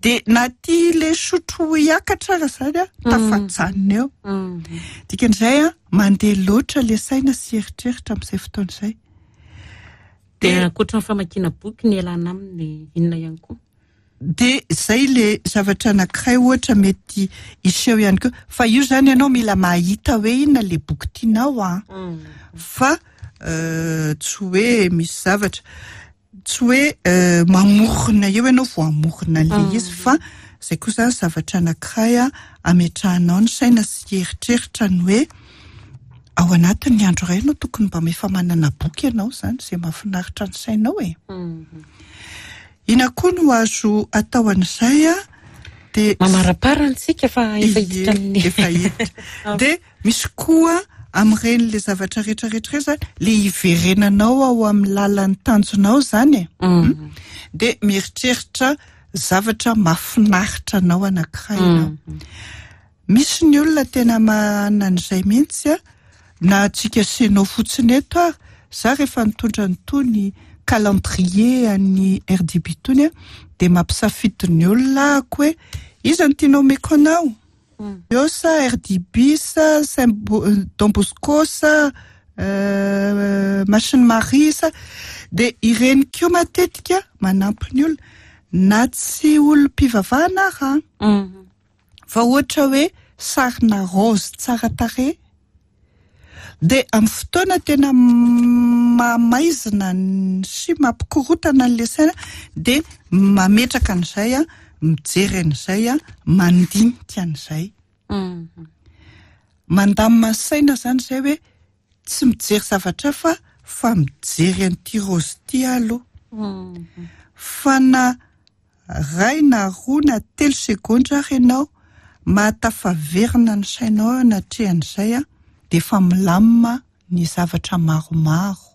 de na ty le sotro hiakatra ara zany a tafajanona eo. Dikan'izay a mandeha loatra le saina sy eritreritra amin'izay fotoana izay. De ankoatra ny famakiana boky ny ialana aminy inona ihany koa? De zay le zavatra anankiray ohatra mety hiseho ihany koa, fa io zany ianao mila mahita hoe inona le boky tianao a fa tsy hoe misy zavatra tsy hoe mamorona eo ianao vao hamorona an'le izy, fa zay koa zany zavatra anankiray a ametrahanao ny saina sy eritreritra ny hoe ao anatin'ny andro iray ianao tokony mba efa manana boky ianao zany zay mahafinaritra ny sainao e. Ina koa no azo atao an'izay a de Mamaraparana-tsika fa efa hiditra amin'ny efa hiditra. De misy koa amin'ireny le zavatra rehetrarehetra ireny zany le hiverenanao ao amin'ny lalan'ny tanjonao zany e. De mieritreritra zavatra mahafinaritra anao anankiray ianao. Misy ny olona tena manana an'izay mihitsy a na antsika senao fotsiny eto ary za rehefa nitondra nytony calendrier an'ny R D B tony a de mampisafidy ny olona ako hoe iza no tianao omeko anao? Eo sa R D B sa Saint Don Bosco sa Masina Maria sa de ireny koa matetika manampy ny olona na tsy olom-pivavahana ara fa ohatra hoe sarina rose tsara tarehy de amin'ny fotoana tena mamaizina sy mampikorotana an'le saina de mametraka an'izay a mijery an'izay a mandinika an'izay. Mandamina ny saina zany zay hoe tsy mijery zavatra hafa fa mijery an'ity rose ity aloha. Fa na ray na roa na telo segondra ary ianao mahatafaverina ny sainao anatrehan'izay a de efa milamina ny zavatra maromaro.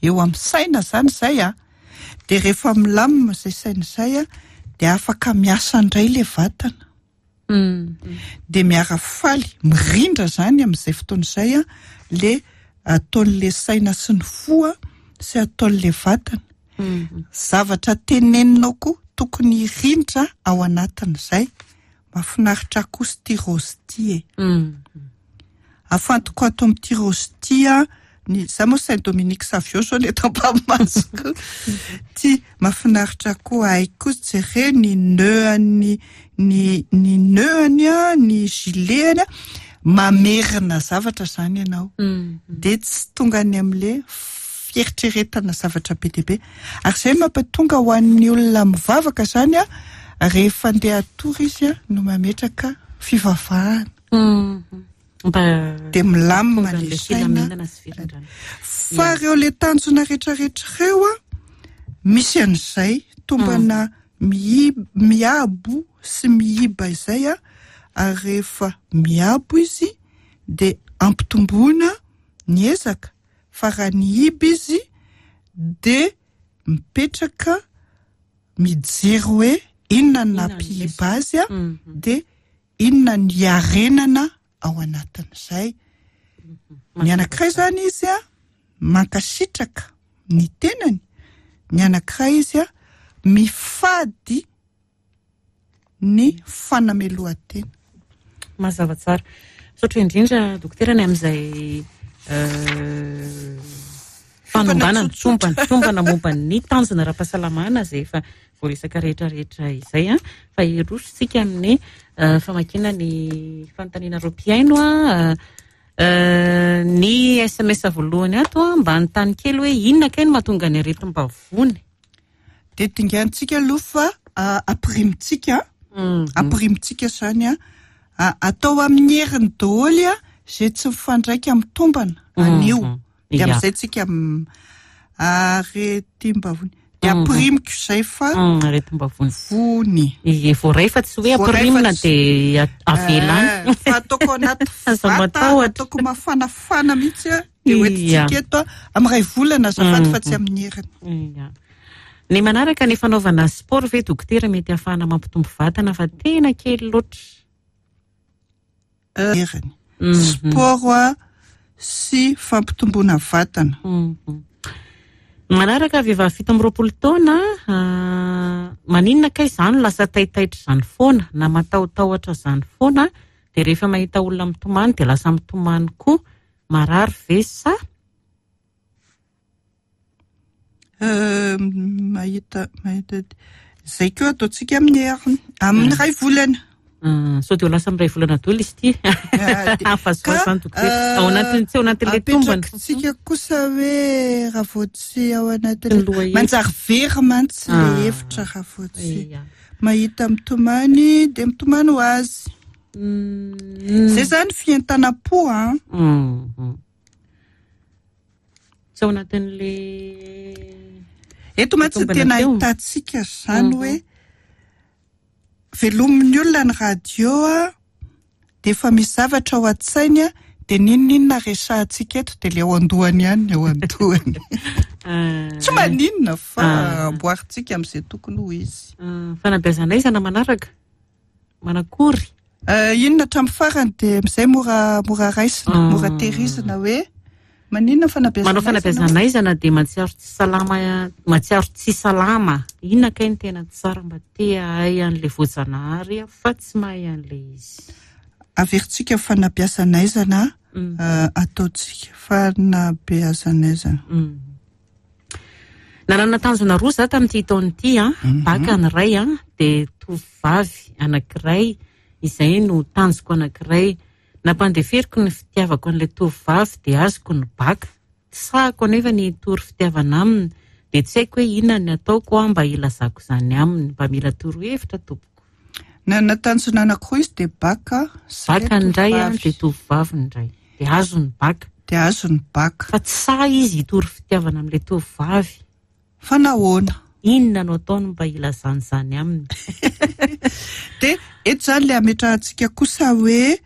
Eo amin'ny saina zany zay a de rehefa milamina izay saina izay a de afaka miasa indray le vatana. De miara-faly mirindra zany amin'izay fotoana izay a le ataon'le saina sy ny fo a sy ataon'le vatana. Zavatra teneninao koa tokony hirindra ao anatin'izay. Mahafinaritra kosa ity rose ity e. Afantoko ato amin'ity rose ity a ny za moa Saint Dominique Savio zao le eto am-pamasoko. Ty mahafinaritra koa hay koa jereo ny nœud-any ny ny nœud-any a ny gilet-any a mamerina zavatra zany ianao. De tsy tonga any amin'le fieritreretana zavatra be dia be. Ary izay mampatonga ho an'ny olona mivavaka zany a rehefa andeha hatory izy a no mametraka fivavahana. Mba De milamina tonga le an'ilay saina. Filaminana sy firindrana. Fa reo le tanjona rehetrarehetra ireo a, misy an'izay tombana mihi- miabo sy mihiba izay a, ary rehefa miabo izy de ampitomboana ny ezaka, fa raha nihiba izy de mipetraka mijery hoe inona ny Inona ny nampihiba azy a, Mhm. de inona ny iarenana ao anatin'izay. Ny anankiray zany izy a mankasitraka ny tenany, ny anankiray izy a mifady ny fanamelohan-tena. Mazava tsara. Misaotra indrindra, dokotera, ny amin'izay eh, fanombanana tsotsotra. tombana tombana momba ny tanjona ara-pahasalamana izay efa voaresaka rehetrarehetra izay a, fa hirosontsika amin'ny eh, famakiana ny fanontanianareo mpihaino a. eh, ny S M S voalohany ato a, mba anontany kely hoe inona kay no mahatonga ny aretim-bavony? De dingantsika aloha fa ah, ampirimitsika Mhm. ampirimitsika zany a, a- atao amin'ny heriny daholo a zay tsy mifandraika amin'ny tombana anio. Mhm. De Ya. amin'izay tsika m- aretim-bavony de Mhm. ampirimiko zay fa Mm, aretim-bavony vony. Ie, voaray fa tsy hoe Voaray fa ampirimina tsy- de a- avela any. Eh, fa ataoko anaty Aza vata, matahotra. ataoko mafanafana mihitsy a, de Ia. hoentintsika eto a amin'ny ray volana azafady, fa Mhm. tsy amin'ny heriny. Ia. Ny manaraka, ny fanaovana sport ve, dokotera, mety ahafahana mampitombo vatana fa tena kely loatra? Heriny Mhm. sport a sy fampitomboana vatana. Mhm. Manaraka, vehivavy fito amby roapolo taona, ah, maninona kay izany lasa taitaitra izany foana na matahotahotra izany foana, de rehefa mahita olona mitomany de lasa mitomany koa? Marary ve sa? Euh, mahita mahita zay koa ataontsika amin'ny heriny, amin'ny ray volana. Ah, sao de ho lasa miray volana daholo izy ity. Ah, de- Afazoa zany, dokotera, euh, ao anatin'ny tsy ao anatin'ilay tombana. Apetrakintsika kosa hoe raha vao tsy ao Ny anatin'ny lohahevitra. manjary very mantsy le Ah. hevitra raha vao tsy Ia. mahita mitomany de mitomany ho azy. Mm. Zay zany fientanam-po a. Mhm. Tsy ao anatin'le Eto mantsy tombana tena teo. ahitantsika zany Mhm. hoe velomin'ny olona ny radio a, de efa misy zavatra ao an-tsainy a, de n'inon'inona resahantsika eto de le ao an-dohany ihany ny ao an-dohany. Ah, Tsy maninona fa Ah. amboarintsika amin'izay tokony ho izy. ah, fanabeazana aizana manaraka manakory? Eh, inona hatramin'ny farany de amin'izay mora mora raisina, Ah. mora tehirizina hoe maninona fanabeazana Manao fanabeazana aizana de mahatsiaro tsy salama mahatsiaro tsy salama. Inona kay ny tena tsara mba te hahay an'le voajanahary aho fa tsy mahay an'le izy? Averintsika fanabeazana aizana. Mm. eh, ataontsika fanabeazana aizana. Mm. Nanana tanjona roa za tamin'ity taona ity a, baka ny ray a, de tovovavy anankiray izay no tanjoko anankiray. Nampandeferiko ny fitiavako an'ilay tovovavy de azoko ny baka. Tsy sahako anefa ny hitory fitiavana aminy, de tsy haiko hoe inona ny ataoko a mba hilazako izany aminy. Mba mila torohevitra, tompoko. Nanana tanjona anankiroa izy de baka sy Baka le ny ray a, tovovavy. de tovovavy ny ray. De azo ny baka. De azo ny baka. Fa tsy sahy izy hitory fitiavana amin'ilay tovovavy. Fa nahoana? Inona no ataony mba hilazany izany aminy? De eto zany le ametrahantsika kosa hoe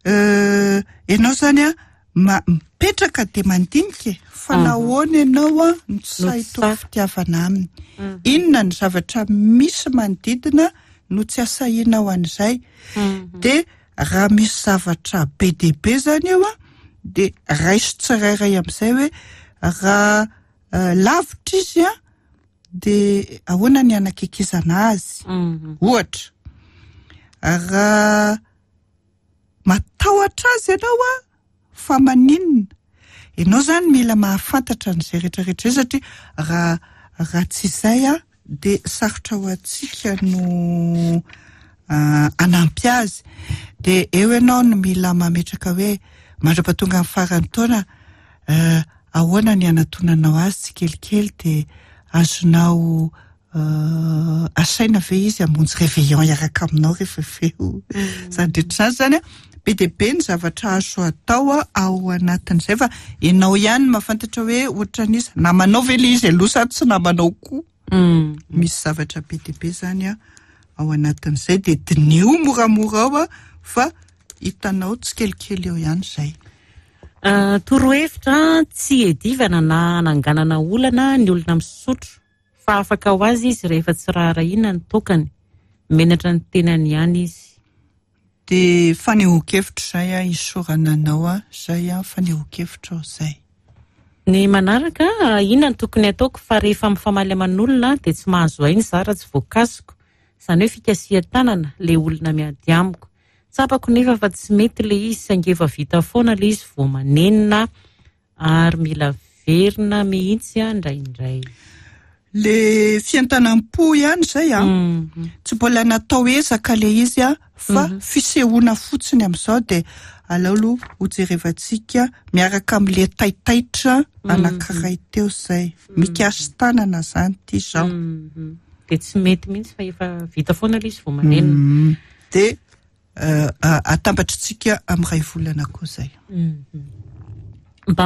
euh, ianao zany a ma- mipetraka de mandinika e, fa Mhm. nahoana ianao a no tsy No sahy tsy hitory sahy. fitiavana aminy? Inona ny zavatra misy manodidina no tsy asahinao an'izay? De raha misy zavatra be dia be zany eo a, de raiso tsirairay amin'izay hoe raha eh, lavitra izy a, de ahoana ny anakekizana azy? Mhm. Ohatra raha matahotra azy ianao a, fa maninona ianao zany mila mahafantatra an'izay rehetrarehetra izay, satria raha raha tsy izay a de sarotra ho antsika no ah, anampy azy. De eo ianao no mila mametraka hoe mandra-pahatonga amin'ny faran'ny taona eh, ahoana ny anatonanao azy tsikelikely, de azonao Asaina ve izy hamonjy réveillon hiaraka aminao rehefa avy eo? Zany rehetra zany zany a, be dia be ny zavatra azo atao a ao anatin'izay, fa ianao ihany no mahafantatra hoe ohatran'iza namanao ve le izy aloha sa tsy namanao koa. Misy zavatra be dia be zany a ao anatin'izay, dia dinio moramora ao a, fa hitanao tsikelikely eo ihany izay. Torohevitra: tsy edivana na ananganana olana ny olona misotro, fa afaka ho azy izy rehefa tsy raharahiana ny tokany. Menatra ny tenany ihany izy. Dia fanehoan-kevitra izay a, isaorana anao a, izay a fanehoan-kevitra ao izay. Ny manaraka: inona no tokony ataoko fa rehefa mifamaly aman'olona dia tsy mahazo aina izaho raha tsy voakasiko? Izany hoe fikasihan-tanana ilay olona miady amiko. Tsapako nefa fa tsy mety ilay izy, saingy efa vita foana ilay izy vao manenina ary mila verina mihitsy indraindray. Le fientanam-po ihany izay a, tsy mbola natao ezaka le izy a, fa fisehoana fotsiny amin'izao. Dia aleo aloha hojerevantsika miaraka amin'le taitaitra anankiray teo izay mikasi-tanana zany ty izao. Dia tsy mety mihitsy fa efa vita foana ilay izy vao manenina. Dia atambatritsika amin'ny ray volana koa izay. Mba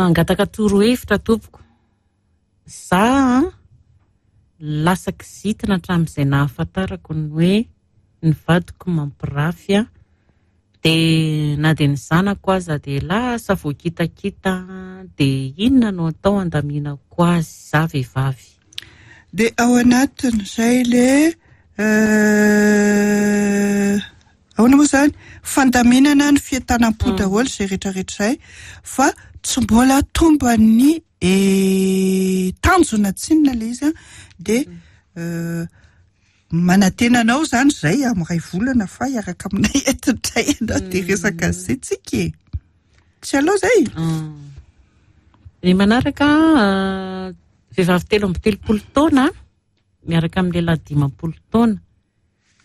angataka torohevitra tompoko. Za lasa kizitina hatramin'izay nahafantarako ny hoe ny vadiko mampirafy a, dia na dia ny zanako aza dia lasa voakitakita. Dia inona no atao andaminako azy, za vehivavy? Dia ao anatin'izay le ahoana moa zany, fandaminana ny fientanam-po daholo izay rehetrarehetra izay, fa tsy mbola tomba ny tanjona tsinona le izy a. Dia manantena anao zany zay amin'ny ray volana fa hiaraka aminay eto indray ianao, dia resaka an'izay tsika e. Tsy alao zay. Ny manaraka: vehivavy telo amby telopolo taona miaraka amin'ny lehilahy dimampolo taona,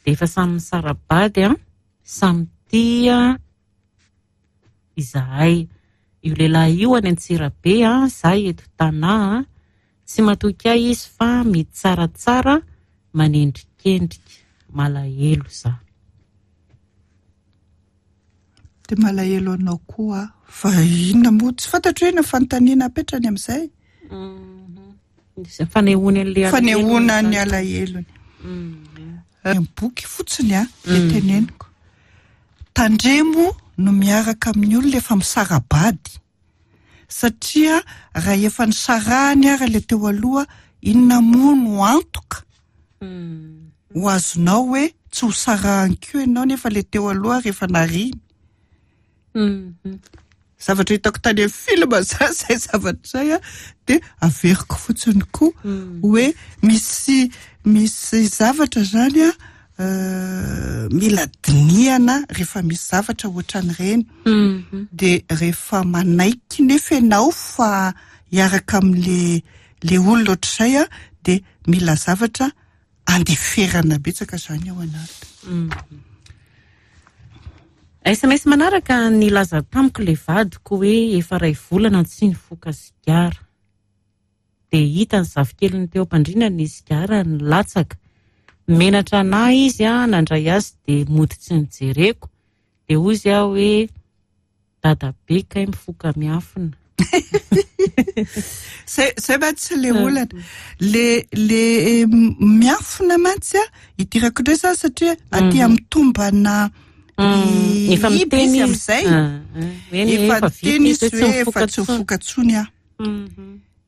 dia efa samy misara-bady a, samy tia izahay. Io lehilahy io any Antsirabe a, za eto Tanà. Tsy matoky ahy izy fa mitsaratsara, manendrikendrika. Malahelo za. Dia malahelo anao koa, fa inona moa tsy fantatro hoe na fanontaniana apetrany amin'izay. Fanehoana an'ilay fanehoana ny alahelony. Ny boky fotsiny a, dia teneniko: tandremo no miaraka amin'ny olona efa misara-bady, satria raha efa nisarahany ara le teo aloha, inona moa no antoka ho azonao hoe tsy ho sarahany koa ianao, nefa le teo aloha rehefa nariny? Zavatra hitako tany amin'ny film za zay zavatra zay a, dia averiko fotsiny koa hoe misy misy zavatra zany a mila dinihana rehefa misy zavatra ohatran'ireny. Dia rehefa manaiky nefa ianao fa hiaraka amin'le le olona ohatr'izay a, dia mila zavatra andeferana betsaka zany ao anaty. S M S manaraka: nilaza tamiko le vadiko hoe efa ray volana tsy nifoka sigara, dia hita ny zafikeliny teo am-pandriana ny sigara nilatsaka. Menatra anahy izy a, nandray azy dia mody tsy nijereko. Dia hoy izy aho hoe dadabe kay mifoka miafina. Zay zay mantsy le olana, le le miafina mantsy a, idirako indray zany, satria aty amin'ny tombana efa iby miteny izy izy amin'izay. Efa efa miteny izy hoe efa tsy mifoka intsony aho.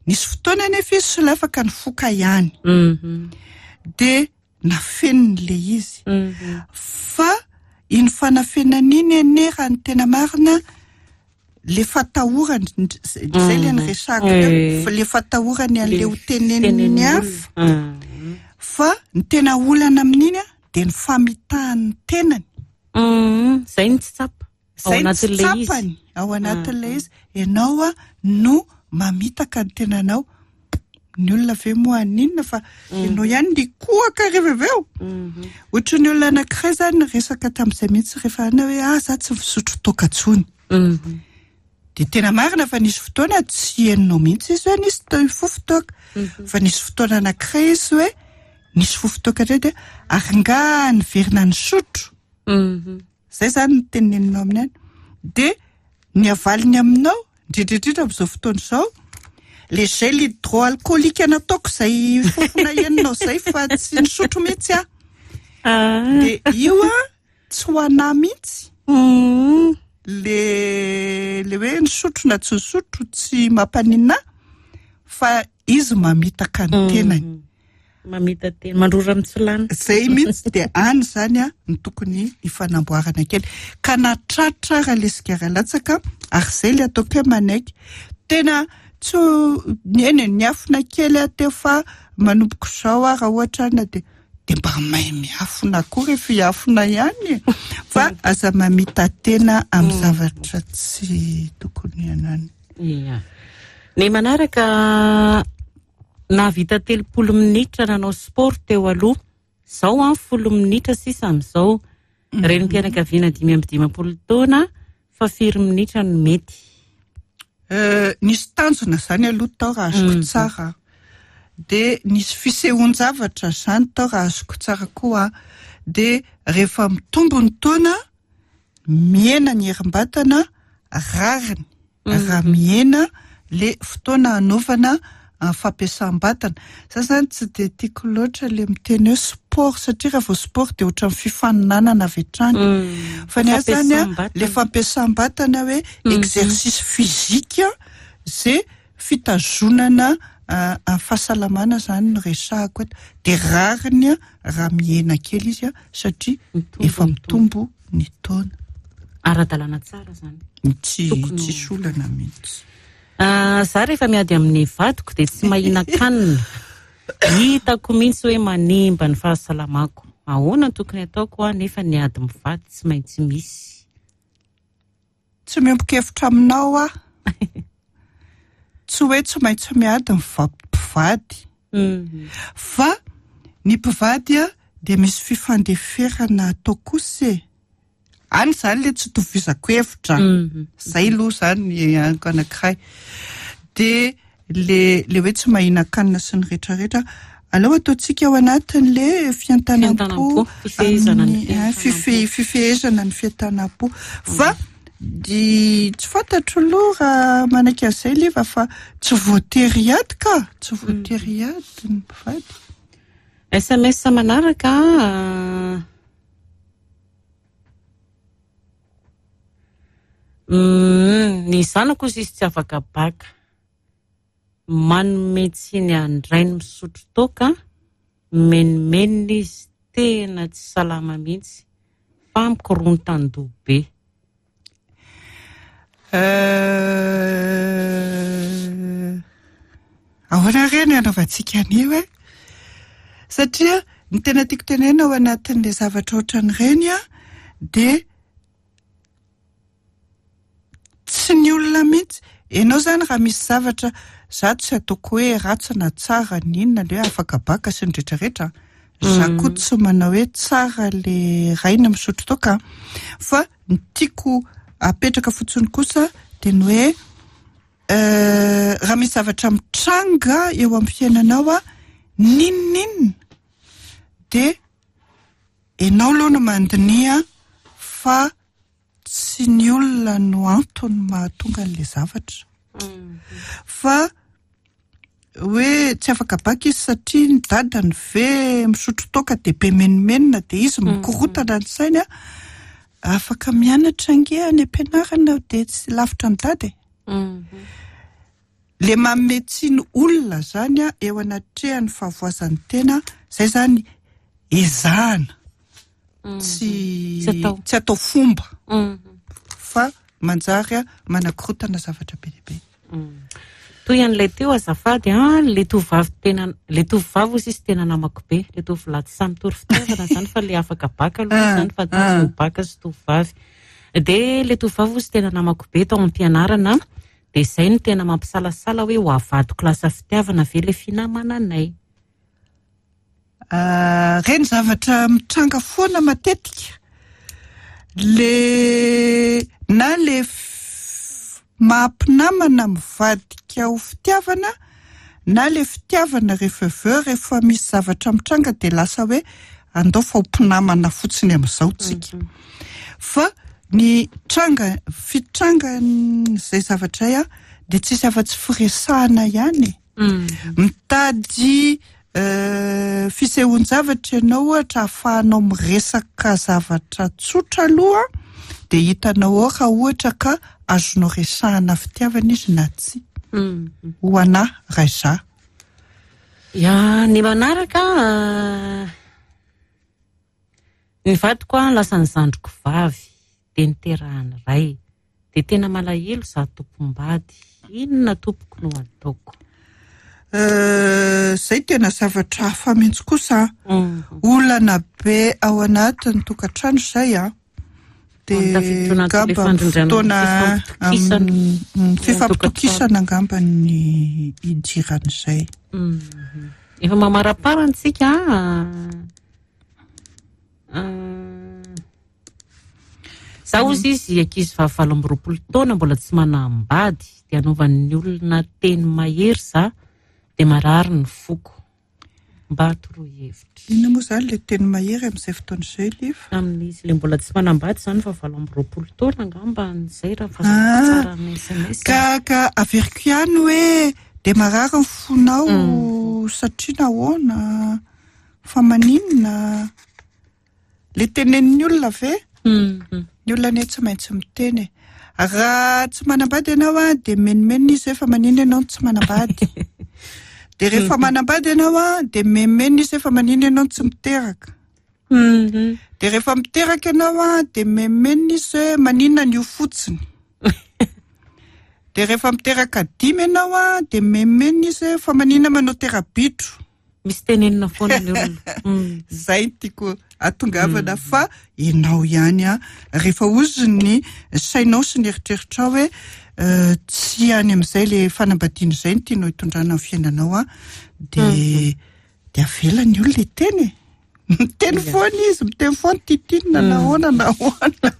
Nisy fotoana nefa izy solafaka nifoka ihany, dia nafeniny le izy, fa iny fanafenana iny anie, raha ny tena marina, le fatahorany zay le nyresahako teo, fa le fatahorany an'le ho teneniny hafa. Fa ny tena olana amin'iny a, dia ny famitahany tenany. Zay ny tsy tsapa ao zay ny tsy anatin'ilay izy. Tsapany ao anatin'ilay izy. Ianao a no mamitaka ny tenanao. Ny olona ve moa aninona, fa ianao ihany nikohaka rehefa avy eo. Ohatry ny olona anankiray zany resaka tamin'izay mihitsy rehefa ana hoe ah, za tsy misotro toaka intsony. De tena marina fa nisy fotoana tsy henonao mihitsy izy hoe nisy to- fofon-toaka, fa nisy fotoana anankiray izy hoe nisy fofon-toaka indray, de ary nga niverina nisotro. Mhm. Zay zany ny teneninao aminy any, de ny avaliny aminao, indrindrindrindra amin'izao fotoana izao, le gel hydroalcoolique nataoko zay fofona heninao zay, fa tsy nisotro mihitsy aho. Ah. De io a tsy ho anahy mihitsy. Mm. le le hoe nisotro na tsy nisotro tsy mampaninona ahy, fa izy mamitaka ny tenany. Mamita tena, mandrora mitsilany. Zay mihitsy. De any zany a ny tokony hifanamboarana kely ka natratra raha le sigara latsaka, ary zay le ataoko hoe manaiky tena tsy ho- eny e, niafina kely aho teo, fa manomboka izao a raha ohatra na de de mba mahay miafina koa rehefa hiafina ihany e. Fa aza mamita tena amin'ny zavatra tsy tokony anany. Ia. Ny manaraka, nahavita telopolo minitra nanao sport teo aloha, zao a folo minitra sisa amin'izao. Renim-pianakaviana dimy amby dimampolo taona, fa firy minitra no mety? Euh, nisy tanjona zany aloha tao raha azoko tsara, de nisy fisehoan-javatra zany tao raha azoko tsara koa. De rehefa mitombo ny taona, mihena ny herim-batana, rariny raha mihena le fotoana hanaovana ah, fampiasam-batana. Za zany tsy de tiako loatra le miteny hoe sport, satria raha vao sport de ohatran'ny fifaninanana avy hatrany, fa ny ahy zany a Fampiasam-batana. Le fampiasam-batana hoe exercice physique zay fitazonana ah, ah, fahasalamana zany no resahako eto. De rariny a raha mihena kely izy a satria Mitombo efa ny mitombo ny taona. Ara-dalàna tsara zany. Tsy Tokony ho- tsisy olana mihitsy. Ah, za rehefa miady amin'ny vadiko de tsy mahinan-kanina, hitako mihitsy hoe manimba ny fahasalamako. Ahoana no tokony ataoko a nefa ny ady mivady tsy maintsy misy? Tsy miombon-kevitra aminao aho. Tsy hoe tsy maintsy miady ny va- mpivady, Mhm. fa ny mpivady a de misy fifandeferana atao kosa e. Any zany le tsy tovizako hevitra. Mhm. Zay aloha zany ny anko anankiray. De le le hoe tsy mahinan-kanina sy ny rehetrarehetra, aleo ataontsika ao anatin'le fientanam-po. Fientanam-po, fifehezana ny amin'ny- ah, fientanam-po. fife- fifehezana ny fientanam-po. Fa di tsy fantatro aloha raha manaiky an'izay leva, fa tsy voatery hiady ka, tsy voatery hiady ny mpivady. S M S manaraka, ah, mm, ny zanako izy tsy afaka baka, manome tsiny an-drainy misotro toaka, menomenona izy, tena tsy salama mihitsy fa mikorontan-doha be. Euh, ahoana reny anaovantsika an'io e? Satria ny tena tiako tenena ao anatin'le zavatra ohatran'ireny a de tsy ny olona mihitsy ianao zany raha misy zavatra za tsy ataoko hoe ratsy na tsara n'inona le hoe afaka baka sy ny rehetrarehetra. Za koa tsy manao hoe tsara le rainy misotro toaka, fa ny tiako apetraka fotsiny kosa de ny hoe euh, raha misy zavatra mitranga eo amin'ny fiainanao a n'inon'inona, de ianao aloha no mandinia fa tsy ny olona no antony mahatonga an'le zavatra. Fa hoe tsy afaka baka izy satria ny dadany ve misotro toaka de be menomenona, de izy mikorotana ny sainy a afaka mianatra ange any am-pianarana, de tsy lavitra ny dada e. Le manome tsiny olona zany a eo anatrehan'ny fahavoazan'ny tena zay zany ezahana tsy Tsy atao. tsy atao fomba, Mhm. fa manjary a manakorotana zavatra be dia be. Toy an'ilay teo, azafady a, le tovovavy tena, le tovovavy ozy izy tena namako be, le tovolahy tsy samy mitory fitiavana zany, fa le afaka baka aloha Ah, zany, fa ah. tsy baka sy tovovavy. De le tovovavy ozy tena namako be tao am-pianarana, de zay no tena mampisalasala hoe ho avadiko lasa fitiavana ve le finamananay? Ah, reny zavatra mitranga foana matetika, le na le f- maha-mpinamana mivadika ho fitiavana, na le fitiavana rehefa avy eo rehefa misy zavatra mitranga de lasa hoe andao fa ho mpinamana fotsiny amin'izao tsika. Fa ny tranga fitrangan'izay zavatra izay a de tsisy afa-tsy firesahana ihany. Mitady fisehoan-javatra ianao ohatra ahafahanao miresaka zavatra tsotra aloha, de hitanao ao raha ohatra ka azonao resahana fitiavana izy na tsia. Ho anahy raha izaho. Ya, ny manaraka ny vadiko a lasa ny zandriko vavy de niterahany ray, de tena malahelo izaho tompom-bady. Inona tompoko no ataoko? Zay tena zavatra hafa mihitsy kosa. Olana be ao anatin'ny tokantrano izay a. De angamba fotoana fifampitokisana angamba ny idiran'izay. Efa mamaraparana tsika. Zaho izy izy ankizy vavy valo amby roapolo taona mbola tsy manambady, de anaovan'ny olona teny mahery za, de marary ny foko. Mba toroy hevitra. Inona moa zany le teny mahery amin'izay fotoana izay, Liva? Amin'izy le mbola tsy manambady zany fa valo amby roapolo taona angamba izay raha fahazoako tsara ny S M S. Ka, ka averiko ihany hoe de marary ny fonao satria nahoana, fa maninona? Le tenenin'ny olona ve? Ny olona anie tsy maintsy miteny e. Raha tsy manambady ianao a, de menomenona izy hoe fa maninona ianao no tsy manambady. De rehefa manambady ianao a, de menomenona izy hoe fa maninona ianao no tsy miteraka. De rehefa miteraka ianao a, de menomenona izy hoe maninona ny io fotsiny. De rehefa miteraka dimy ianao a, de menomenona izy hoe fa maninona manao tera-bitro. Misy tenenina foana ny olona. Zay no tiako atongavana fa ianao ihany a, rehefa ozy ny sainao sy ny eritreritrao hoe tsy any amin'izay le fanambadiana izay no tianao hitondrana ny fiainanao a, de de avela ny olona hiteny e. Miteny foana izy, miteny foana titinina na ahoana na ahoana.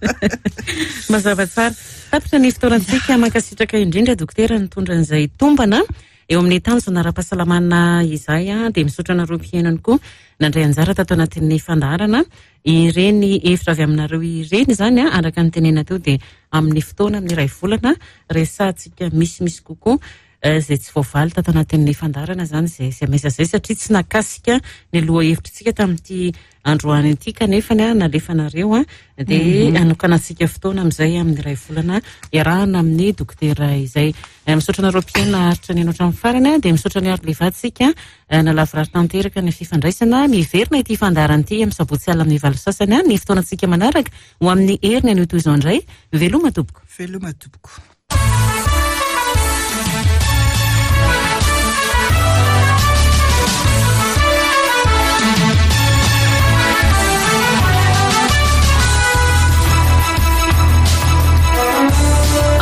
Mazava tsara. Tapitra ny fotoanantsika. Mankasitraka indrindra dokotera nitondra an'izay tombana eo amin'ny tanjona ara-pahasalamana izay a, dia misaotra anareo mpihaino ihany koa nandray anjara tato anatin'ny fandaharana. Ireny hevitra avy aminareo ireny izany a, araka ny tenena teo dia amin'ny fotoana amin'ny iray volana resahantsika misimisy kokoa izay tsy voavaly tato anatin'ny fandaharana izany izay S M S izay, satria tsy nakasika ny loha hevitritsika tamin'ity androany ity kanefa ny nalefanareo a, dia hanokanantsika fotoana amin'izay amin'ny iray volana iarahana amin'ny dokotera izay. Misaotra anareo mpihaino naharitra ny hatramin'ny farany a, dia misaotra ny ary levantsika nalavorary tanteraka ny fifandraisana. Miverina ity fandaharana ity amin'ny sabotsy alina amin'ny valo sasany a, ny fotoanantsika manaraka ho amin'ny heriny anio toy izao indray. Veloma tompoko. Veloma tompoko.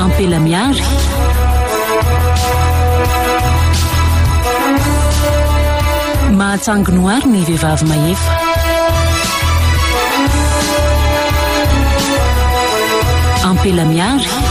Ampela miary. Mahatsangonoary ny vehivavy mahefa. Ampela miary.